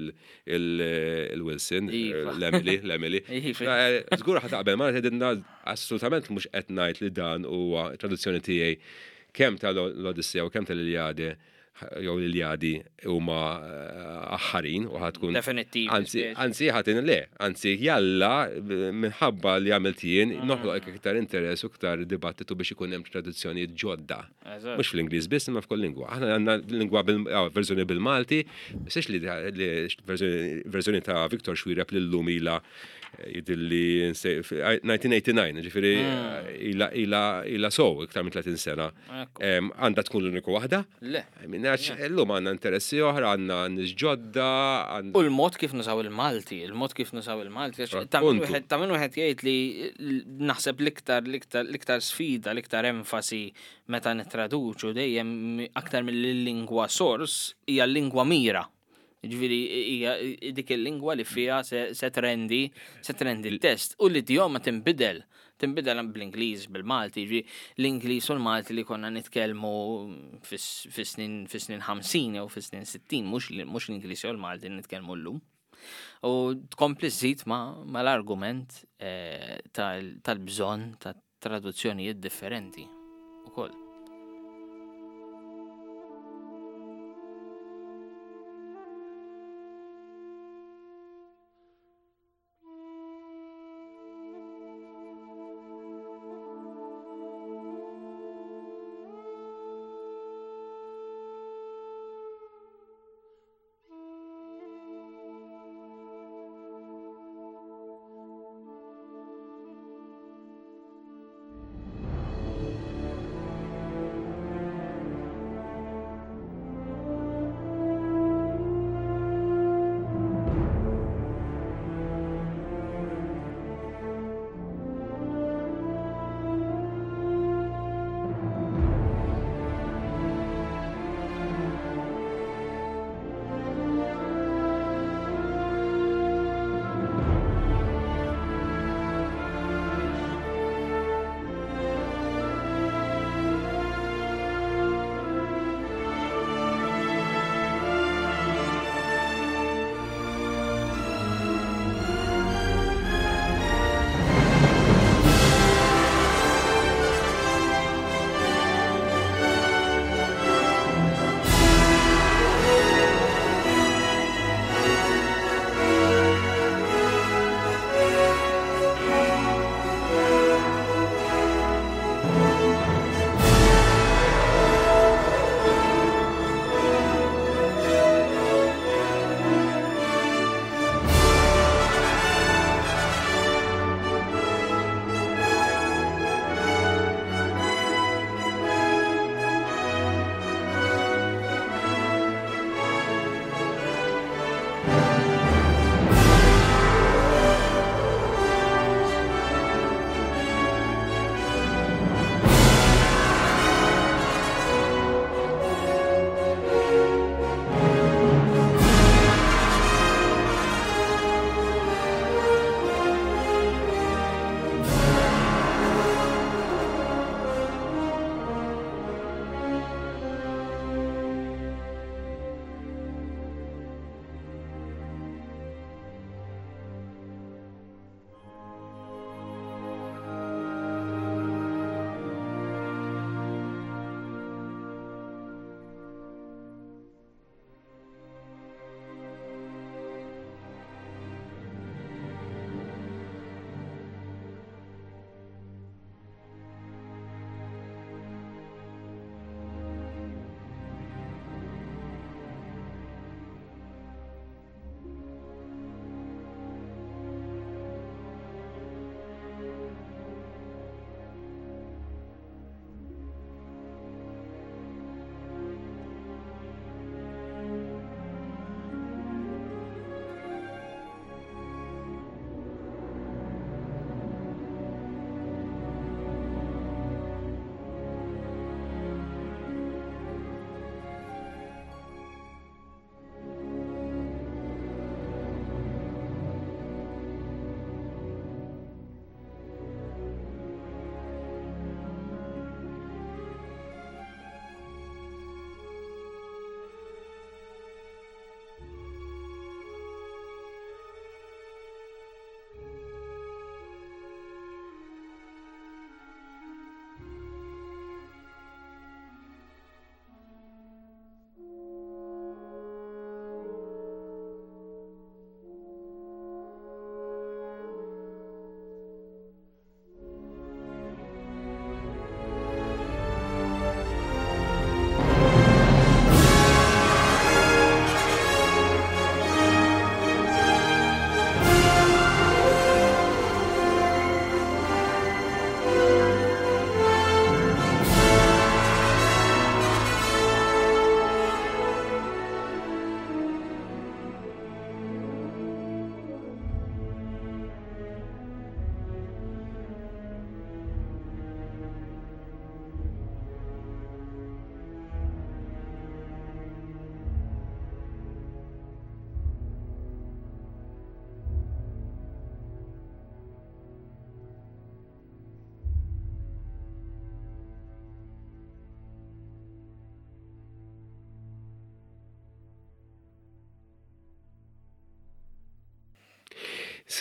Speaker 1: il-Wilson,
Speaker 2: Iva.
Speaker 1: l-Emily, l-Emily.
Speaker 2: Iva.
Speaker 1: Eh, Żgur ħa taqbel, ma tgħidilna assolutament mhux qed ngħid li dan huwa traduzzjoni tiegħi kemm tal-Odissea u kemm tal-Iljade jew l-Iljadi huma eh, aħħarin u ħatkun
Speaker 2: Definittivi,
Speaker 1: Anzi,
Speaker 2: speċi.
Speaker 1: anzi ħatin le, anzi jalla minħabba li għamilt jien
Speaker 2: Mm.
Speaker 1: noħloq iktar interess u iktar dibattitu biex ikun hemm traduzzjonijiet ġodda.
Speaker 2: Eżatt.
Speaker 1: Mhux fl-Ingliż biss imma f'kull lingwa. Aħna għandna lingwa bil ah, verżjoni bil-Malti, mhux li li verżjoni verżjoni ta' Victor Xuereb li llum ilha Jidhirli elf disa' mija u tmienja u disgħin, ġifieri ila ila ila sow iktar minn tletin sena.
Speaker 2: Ekku.
Speaker 1: Em, Għandha tkun l-uniku waħda?
Speaker 2: Le.
Speaker 1: Minnaċ, illum għandna interessi oħra, għandna nies ġodda, għandna.
Speaker 2: U l-mod kif nużaw il-Malti, il-mod kif nużaw il-Malti, għax ta' min
Speaker 1: Appuntu.
Speaker 2: wieħed- ta' min wieħed jgħid li l- naħseb l-iktar l-iktar l-iktar sfida, l-iktar enfasi meta nittraduċu dejjem aktar mill-lingwa source hija l-lingwa mira. Ġifieri hija dik il-lingwa li fiha se, se trendi, se trendi l-test u l-idjoma tinbidel. Tinbidel bl-Ingliż, bil-Malti, ġifieri l-Ingliż u l-Malti li konna nitkellmu fis- fis-snin fis-snin ħamsin jew fis-snin sittin, mhux mhux l-Ingliż jew l-Malti li nitkellmu llum. U tkompli żżid ma, mal-argument eh, tal- tal-bżonn ta' traduzzjonijiet differenti ukoll.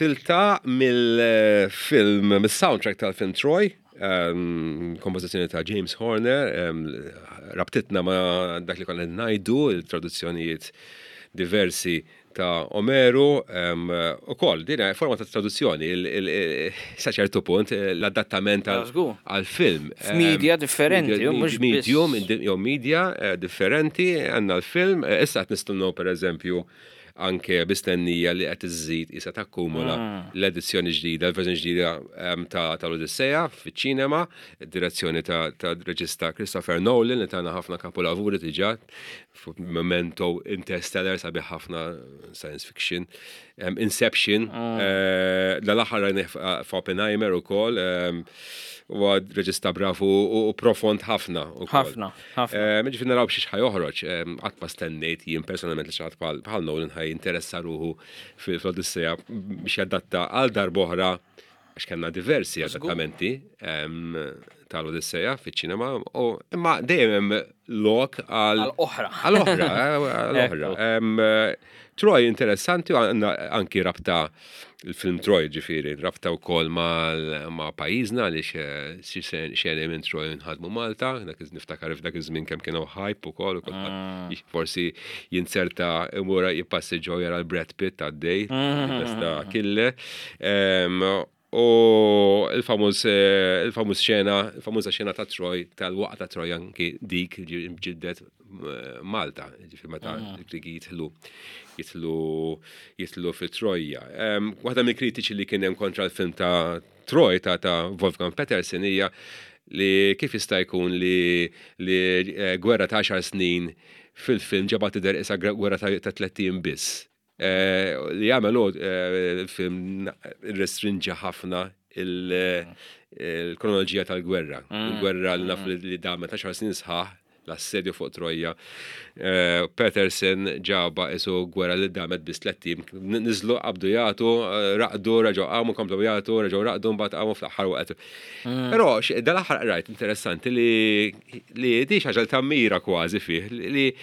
Speaker 1: Silta mill-film, mill-soundtrack tal-film Troy, um, kompożizzjoni ta' James Horner, um, rabtitna ma' dak li konna ngħidu, il-traduzzjonijiet diversi ta' Omeru, um, u koll, din hija forma ta' traduzzjoni, il- il- il- sa ċertu punt, l-adattament
Speaker 2: Ah, żgur.
Speaker 1: għal-film.
Speaker 2: F'media differenti,
Speaker 1: Media-
Speaker 2: u mhux biss-
Speaker 1: Medium, jew media eh, differenti, għandna l-film, eh, issa qed nistennew per eżempju anke b'istennija li qed iżżid issa takkumula
Speaker 2: Mm.
Speaker 1: l-edizzjoni ġdida, l-verżjoni ġdida em, ta' tal-Odissea fiċ-ċinema, direzzjoni ta' ta' reġista Christopher Nolan li tana ħafna kapolavuri diġà, fuq Memento, Interstellar, sabiħ ħafna science fiction, em, Inception,
Speaker 2: Mm.
Speaker 1: eh, dal-aħħar rajnih f'Oppenheimer ukoll, em, huwa reġista bravu u u profond ħafna. ukoll.
Speaker 2: Ħafna, ħafna.
Speaker 1: Eh, Ġifieri naraw xiex ħa joħroġ, qatt ma stennejt jien personalment li xi ħadd bħal bħal Nolan ħa jinteressa ruħu fil-Odissea biex jadatta għal darb'oħra għax kellna diversi adattamenti em, tal-Odissea fiċ-ċinema, u imma dejjem hemm lok għal
Speaker 2: Għal oħra.
Speaker 1: Għal oħra, eh, għal oħra. Em, eh, Troy interessanti u għandna anki rabta il-film Troy ġifieri, rabta wkoll mal- ma' pajjiżna għaliex eh, xi xeni minn Troy nħadmu Malta, dak iż- niftakar f'dak iż-żmien kemm kienu hype ukoll, u kulħadd forsi jinserta imura jippassiġġaw jara l-Brad Pitt għaddej, besta kille. Em, U il-famuż eh, il-famuż xena, il-famuża xena ta' Troy, tal-waqgħa ta' Troy anki dik ġi- ġiddet eh, Malta, ġifieri meta l-Grigi jidħlu jidħlu jidħlu fi Trojja. Em, Waħda mill-kritiċi li kien hemm kontra l-film ta' Troy ta' ta' Wolfgang Petersen hija li kif jista' jkun li li eh, gwerra ta' għaxar snin fil-film ġabha tidher isa gwerra ta' ta' tlett ijiem biss. Eh, Li jagħmel hu, eh, il-film restrinġa ħafna il- il-kronoloġija tal-gwerra. Il-gwerra li naf li li damet għaxar snin sħaħ, l-assedju fuq Trojja. Eh, Petersen ġaba isu gwerra li damet biss tlett ijiem. Niżlu qabdu jagħtu, eh, raqdu, reġgħu qamu, komplu jagħtu, reġgħu raqdu, mbagħad qamu fl-aħħar waqt. Però x- dal-aħħar rajt interessanti li li di xi ħaġa li tammira kważi fih li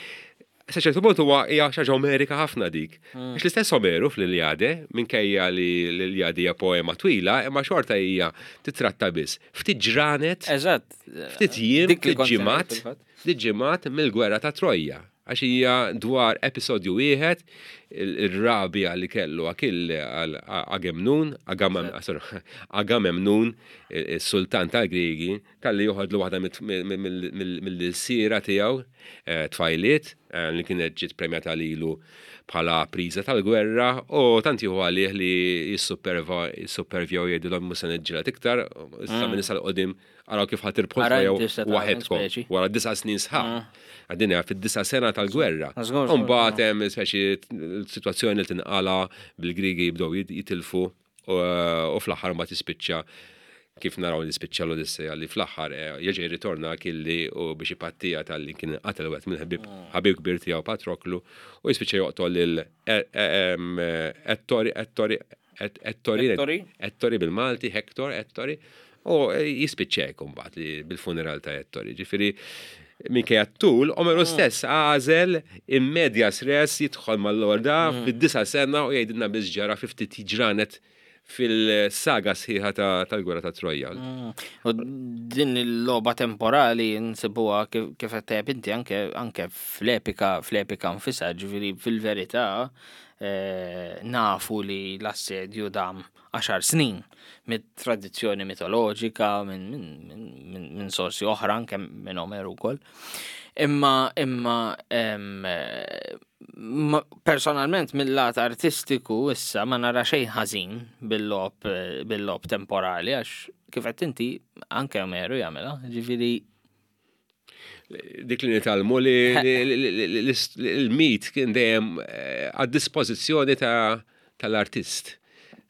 Speaker 1: sa ċertu punt huwa hija xi ħaġa Omerika ħafna dik. Għax l-istess Omeru fl-Iljade, minkejja li l-Iljade hija poema twila, imma xorta hija titratta biss. Ftit ġranet,
Speaker 2: Eżatt.
Speaker 1: ftit jiem,
Speaker 2: Dik li
Speaker 1: ftit
Speaker 2: kont
Speaker 1: ġimgħat,
Speaker 2: fil-fatt.
Speaker 1: ftit ġimgħat mill-gwerra ta' Trojja. Għax hija dwar episodju wieħed il-rabja li kellu Akille għal Agemnun, Agamem- sorry, Agamemnun, il-sultan tal-Grigi, talli joħodlu waħda mill-sira tiegħu, eh, tfajliet, eh, li kienet ġiet premjata lilu bħala priża tal-gwerra, u tant jieħu għalih li jissuperva jissupervjaw jgħidilhom mhux se niġġieled iktar, issa minn issa 'l quddiem araw kif ħa tirbħu
Speaker 2: Ara
Speaker 1: jew
Speaker 2: inti se tagħmel
Speaker 1: waħedkom
Speaker 2: speċi.
Speaker 1: wara disa' snin sħaħ. Għaddinja fid-disa' sena tal-gwerra.
Speaker 2: Żgur, żgur,
Speaker 1: Mbagħad hemm speċi situazzjoni li tinqala bil-Grigi jibdew jit- jitilfu u u fl-aħħar ma tispiċċa kif naraw li spiċċa l-Odissea li fl-aħħar eh, jerġa' jirritorna Akilli u biex ipattija tal-li kien qatel wieħed mill-ħabib ħabib kbir tiegħu Patroklu u jispiċċa joqtol lil eh, eh, em, Ettori Ettori Ettori
Speaker 2: Ettori?
Speaker 1: Ettori bil-Malti, Hector, Ettori, u jispiċċa hekk imbagħad li bil-funeral ta' Ettori. Ġifieri minkejja t-tul, Omeru stess għażel in medias res jidħol mal-lorda fid-disa' sena u jgħidilna biss ġara fi ftit ġranet fil-saga sħiħa ta- tal-gwerra ta' Trojja.
Speaker 2: U din il-logħba temporali nsibuha kif kif qed tgħid inti anke anke fl-epika fl-epika nfisha, ġifieri fil-verità eh, nafu li l-assedju dam għaxar snin mit-tradizzjoni mitoloġika minn min, min, min, min sorsi oħra anke minn Omeru wkoll. Imma imma em, eh, ma- personalment mill-lat artistiku issa ma nara xejn ħażin bil-logħob eh, bil-logħob temporali għax kif qed inti anke Omeru jagħmilha, ġifieri
Speaker 1: Dik li nitgħallmu li li- li- li- li- li- l-mit kien dejjem eh, għad dispożizzjoni ta' tal-artist,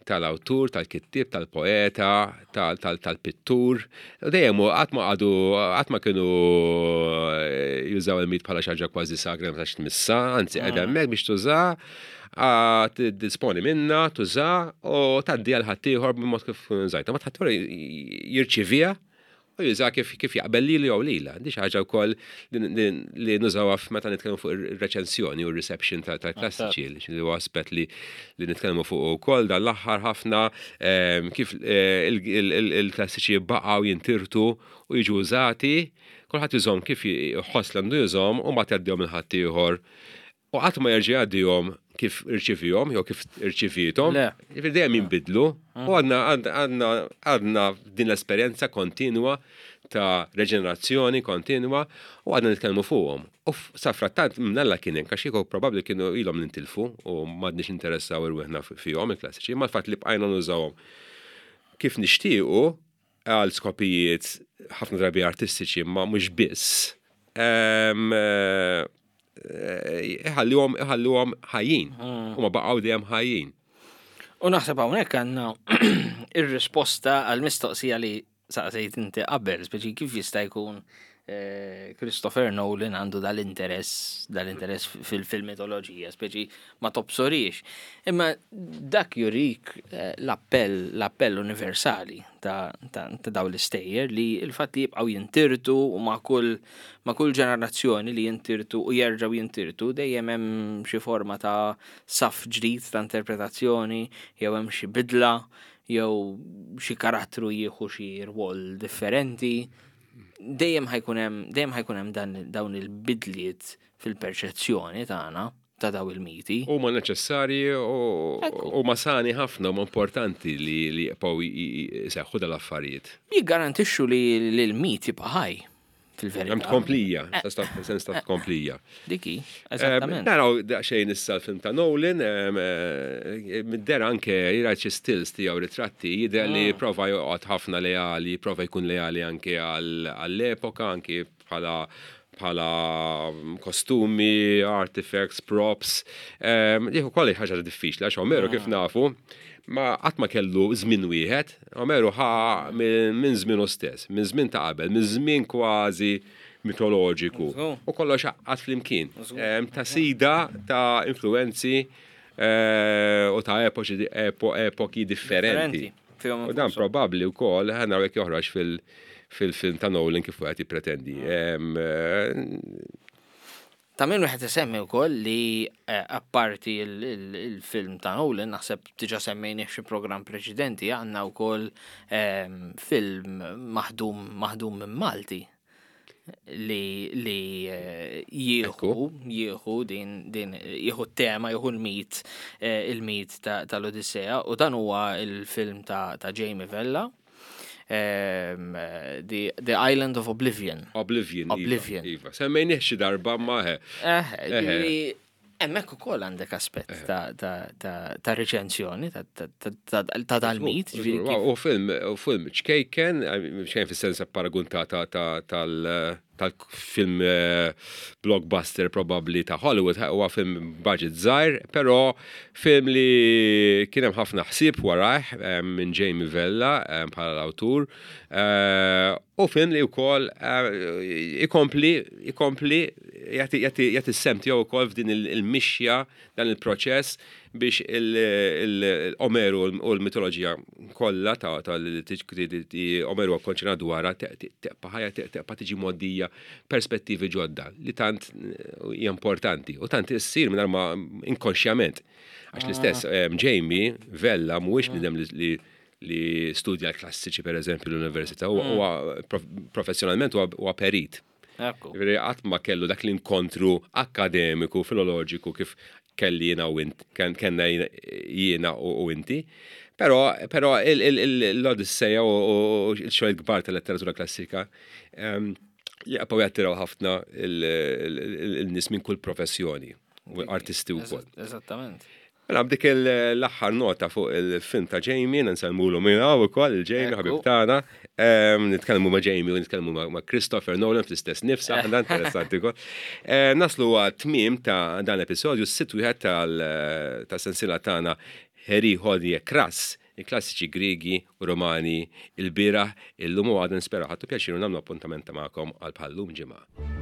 Speaker 1: tal-awtur, tal-kittib, tal-poeta, tal- tal- tal-pittur. U dejjem u qatt ma għadu, qatt ma kienu eh, jużaw il-mit bħala xi ħaġa kważi sagra ma tax tmissa, anzi qiegħda hemmhekk biex tuża, tidisponi minna, tuża u tgħaddi għal ħaddieħor b'mod kif użajta. Ma ħaddieħor jirċivija U juża kif kif jaqbel lilu jew lila. Di xi ħaġa wkoll li li nużawha meta nitkellmu fuq ir-reċensjoni u r-reception tal-klassiċi, li huwa aspett li li nitkellmu fuq ukoll dan l-aħħar ħafna, kif il-klassiċi baqgħu jintirtu u jiġu użati, kulħadd jużhom kif jħoss li għandu jużhom u ma tgħaddihom lil ħaddieħor. U qatt ma jerġa' jgħaddihom kif irċivihom jew kif irċivietom. Jiġifieri dejjem jinbidlu u għadna għadna għadna din l-esperjenza kontinwa ta' reġenerazzjoni kontinwa u għadna nitkellmu fuqhom. U sa frattant mnalla kien hemm, għax kieku probabbli kienu ilhom nintilfu u m'għadniex interessaw irwieħna fihom il-klassiċi, ma l-fatt li bqajna nużawhom kif nixtiequ għal skopijiet ħafna drabi artistiċi, ma mhux biss, iħalluhom iħalluhom ħajjin u ma baqgħu dejjem ħajjin.
Speaker 2: U naħseb hawnhekk għandna ir-risposta għal mistoqsija li saqsejt inti qabel, speċi kif jista' jkun eh, Christopher Nolan għandu dal-interess, dal-interess fil-mitoloġija, speċi ma tobsorix. Imma dak jurik eh, l-appell, l-appell universali ta', ta, ta daw l-istejjer, li il-fatt li jibqgħu jintirtu u ma' kull ma' kull ġenerazzjoni li jintirtu u jerġgħu jintirtu, dejjem hemm xi forma ta' saf ġdid ta' interpretazzjoni jew hemm xi bidla jew xi karattru jieħu xi rwol differenti. Dejjem ħa jkun hemm dejjem ħa jkun hemm dan dawn il-bidliet fil-perċezzjoni tagħna ta' daw il-miti.
Speaker 1: Huma neċessarji u
Speaker 2: Ekku.
Speaker 1: u ma sani ħafna, huma importanti li li jibqgħu jseħħu dal-affarijiet.
Speaker 2: Jiggarantixxu li li l-mit jibqa' ħaj fil-verità.
Speaker 1: Hemm tkomplija, sens ta' tkomplija.
Speaker 2: Diki, eżattament.
Speaker 1: Naraw daqsxejn issa l-film ta' Nolan, em, eh, mid-dehra anke jirajt xi stills tiegħu, ritratti, jidher li prova joqgħod ħafna leali, prova jkun leali anke għall- għall-epoka, anke bħala bħala kostumi, artifacts, props. Dik ukoll ħaġa diffiċli, għax Omeru, kif nafu, ma qatt ma kellu żmien wieħed. Omeru ħa minn minn żmienu stess, minn żmien ta' qabel, minn żmien kważi mitoloġiku.
Speaker 2: Żgur.
Speaker 1: U kollox għad flimkien. Em, Ta' sida ta' influenzi eh, u ta' epoċi, epo, epoki differenti.
Speaker 2: Differenti, fihom
Speaker 1: U dan
Speaker 2: infushom.
Speaker 1: probabbli wkoll ħa naraw jekk joħroġ fil- fil-film ta' Nolan kif qed jippretendi. Em, eh,
Speaker 2: Ta' min wieħed isemmi wkoll li eh, apparti il- il- il-film ta' Nolan, naħseb diġà semmejni f'xi programm preċedenti, għandna wkoll ehm, film maħdum maħdum minn Malti li li eh, jieħu jieħu din din jieħu t-tema, jieħu l-mit eh, il-mit ta- tal-Odissea, u dan huwa il-film ta' ta' Jamie Vella, ehm, eh, The, The Island of Oblivion.
Speaker 1: Oblivion. Iva,
Speaker 2: Oblivion.
Speaker 1: Iva. Semmejnih xi darba ma he.
Speaker 2: Eh,
Speaker 1: Eħe.
Speaker 2: ġifieri, hemmhekk ukoll għandek aspett ta' ta' ta' ta' reċenzjoni ta' ta' ta' ta' dal-mit, ġifieri kif-
Speaker 1: U film, u film ċkejken, ċkejken fis-sens paragun ta' ta' ta' tal- tal-film eh, blockbuster probably ta' Hollywood, huwa film budget żgħir, però film li kien hemm ħafna ħsieb warajh eh, minn Jamie Vella eh, bħala l-awtur, eh, u film li wkoll eh, ikompli ikompli jagħti jagħti jagħti s-sehem tiegħu wkoll f'din il- il-mixja, dan il-proċess biex il-Omeru u l-mitoloġija kollha ta' ta' li Omeru konċernat dwarha tibqa' ħajja, tibqa' tiġi mgħoddija perspettivi ġodda li tant hija importanti u tant issir mingħajr ma inkonxjament. Għax l-istess Jamie Vella mhuwiex bniedem li li studja l-klassiċi, per eżempju, l-università, huwa professjonalment huwa perit.
Speaker 2: Ekku.
Speaker 1: Ġifieri qatt ma kellu dak l-inkontru akademiku, filoloġiku kif kelli jiena u int, kellna jiena u inti. Però, però l-Odisseja u l-xogħol kbar tal-letteratura klassika jaqpaw jattiraw ħafna il-nies minn kull professjoni u artisti wkoll.
Speaker 2: Eżattament.
Speaker 1: Mela b'dik l-aħħar nota fuq il-film ta' Jamie, nsellmulu minn hawn ukoll il-Jamie ħabib tagħna. Nitkellmu ma' Jamie u nitkellmu ma' Christopher Nolan fl-istess nifsa, għandha interessanti wkoll. Naslu għat-tmiem ta' dan l-episodju, s-sitt wieħed tal-sensila tagħna Heri Hodie Kras, il-klassiċi Griegi u Romani, il-bieraħ, illum u għada. Nispera ħadtu pjaċir u nagħmlu appuntament magħkom għal bħallum ġimgħa.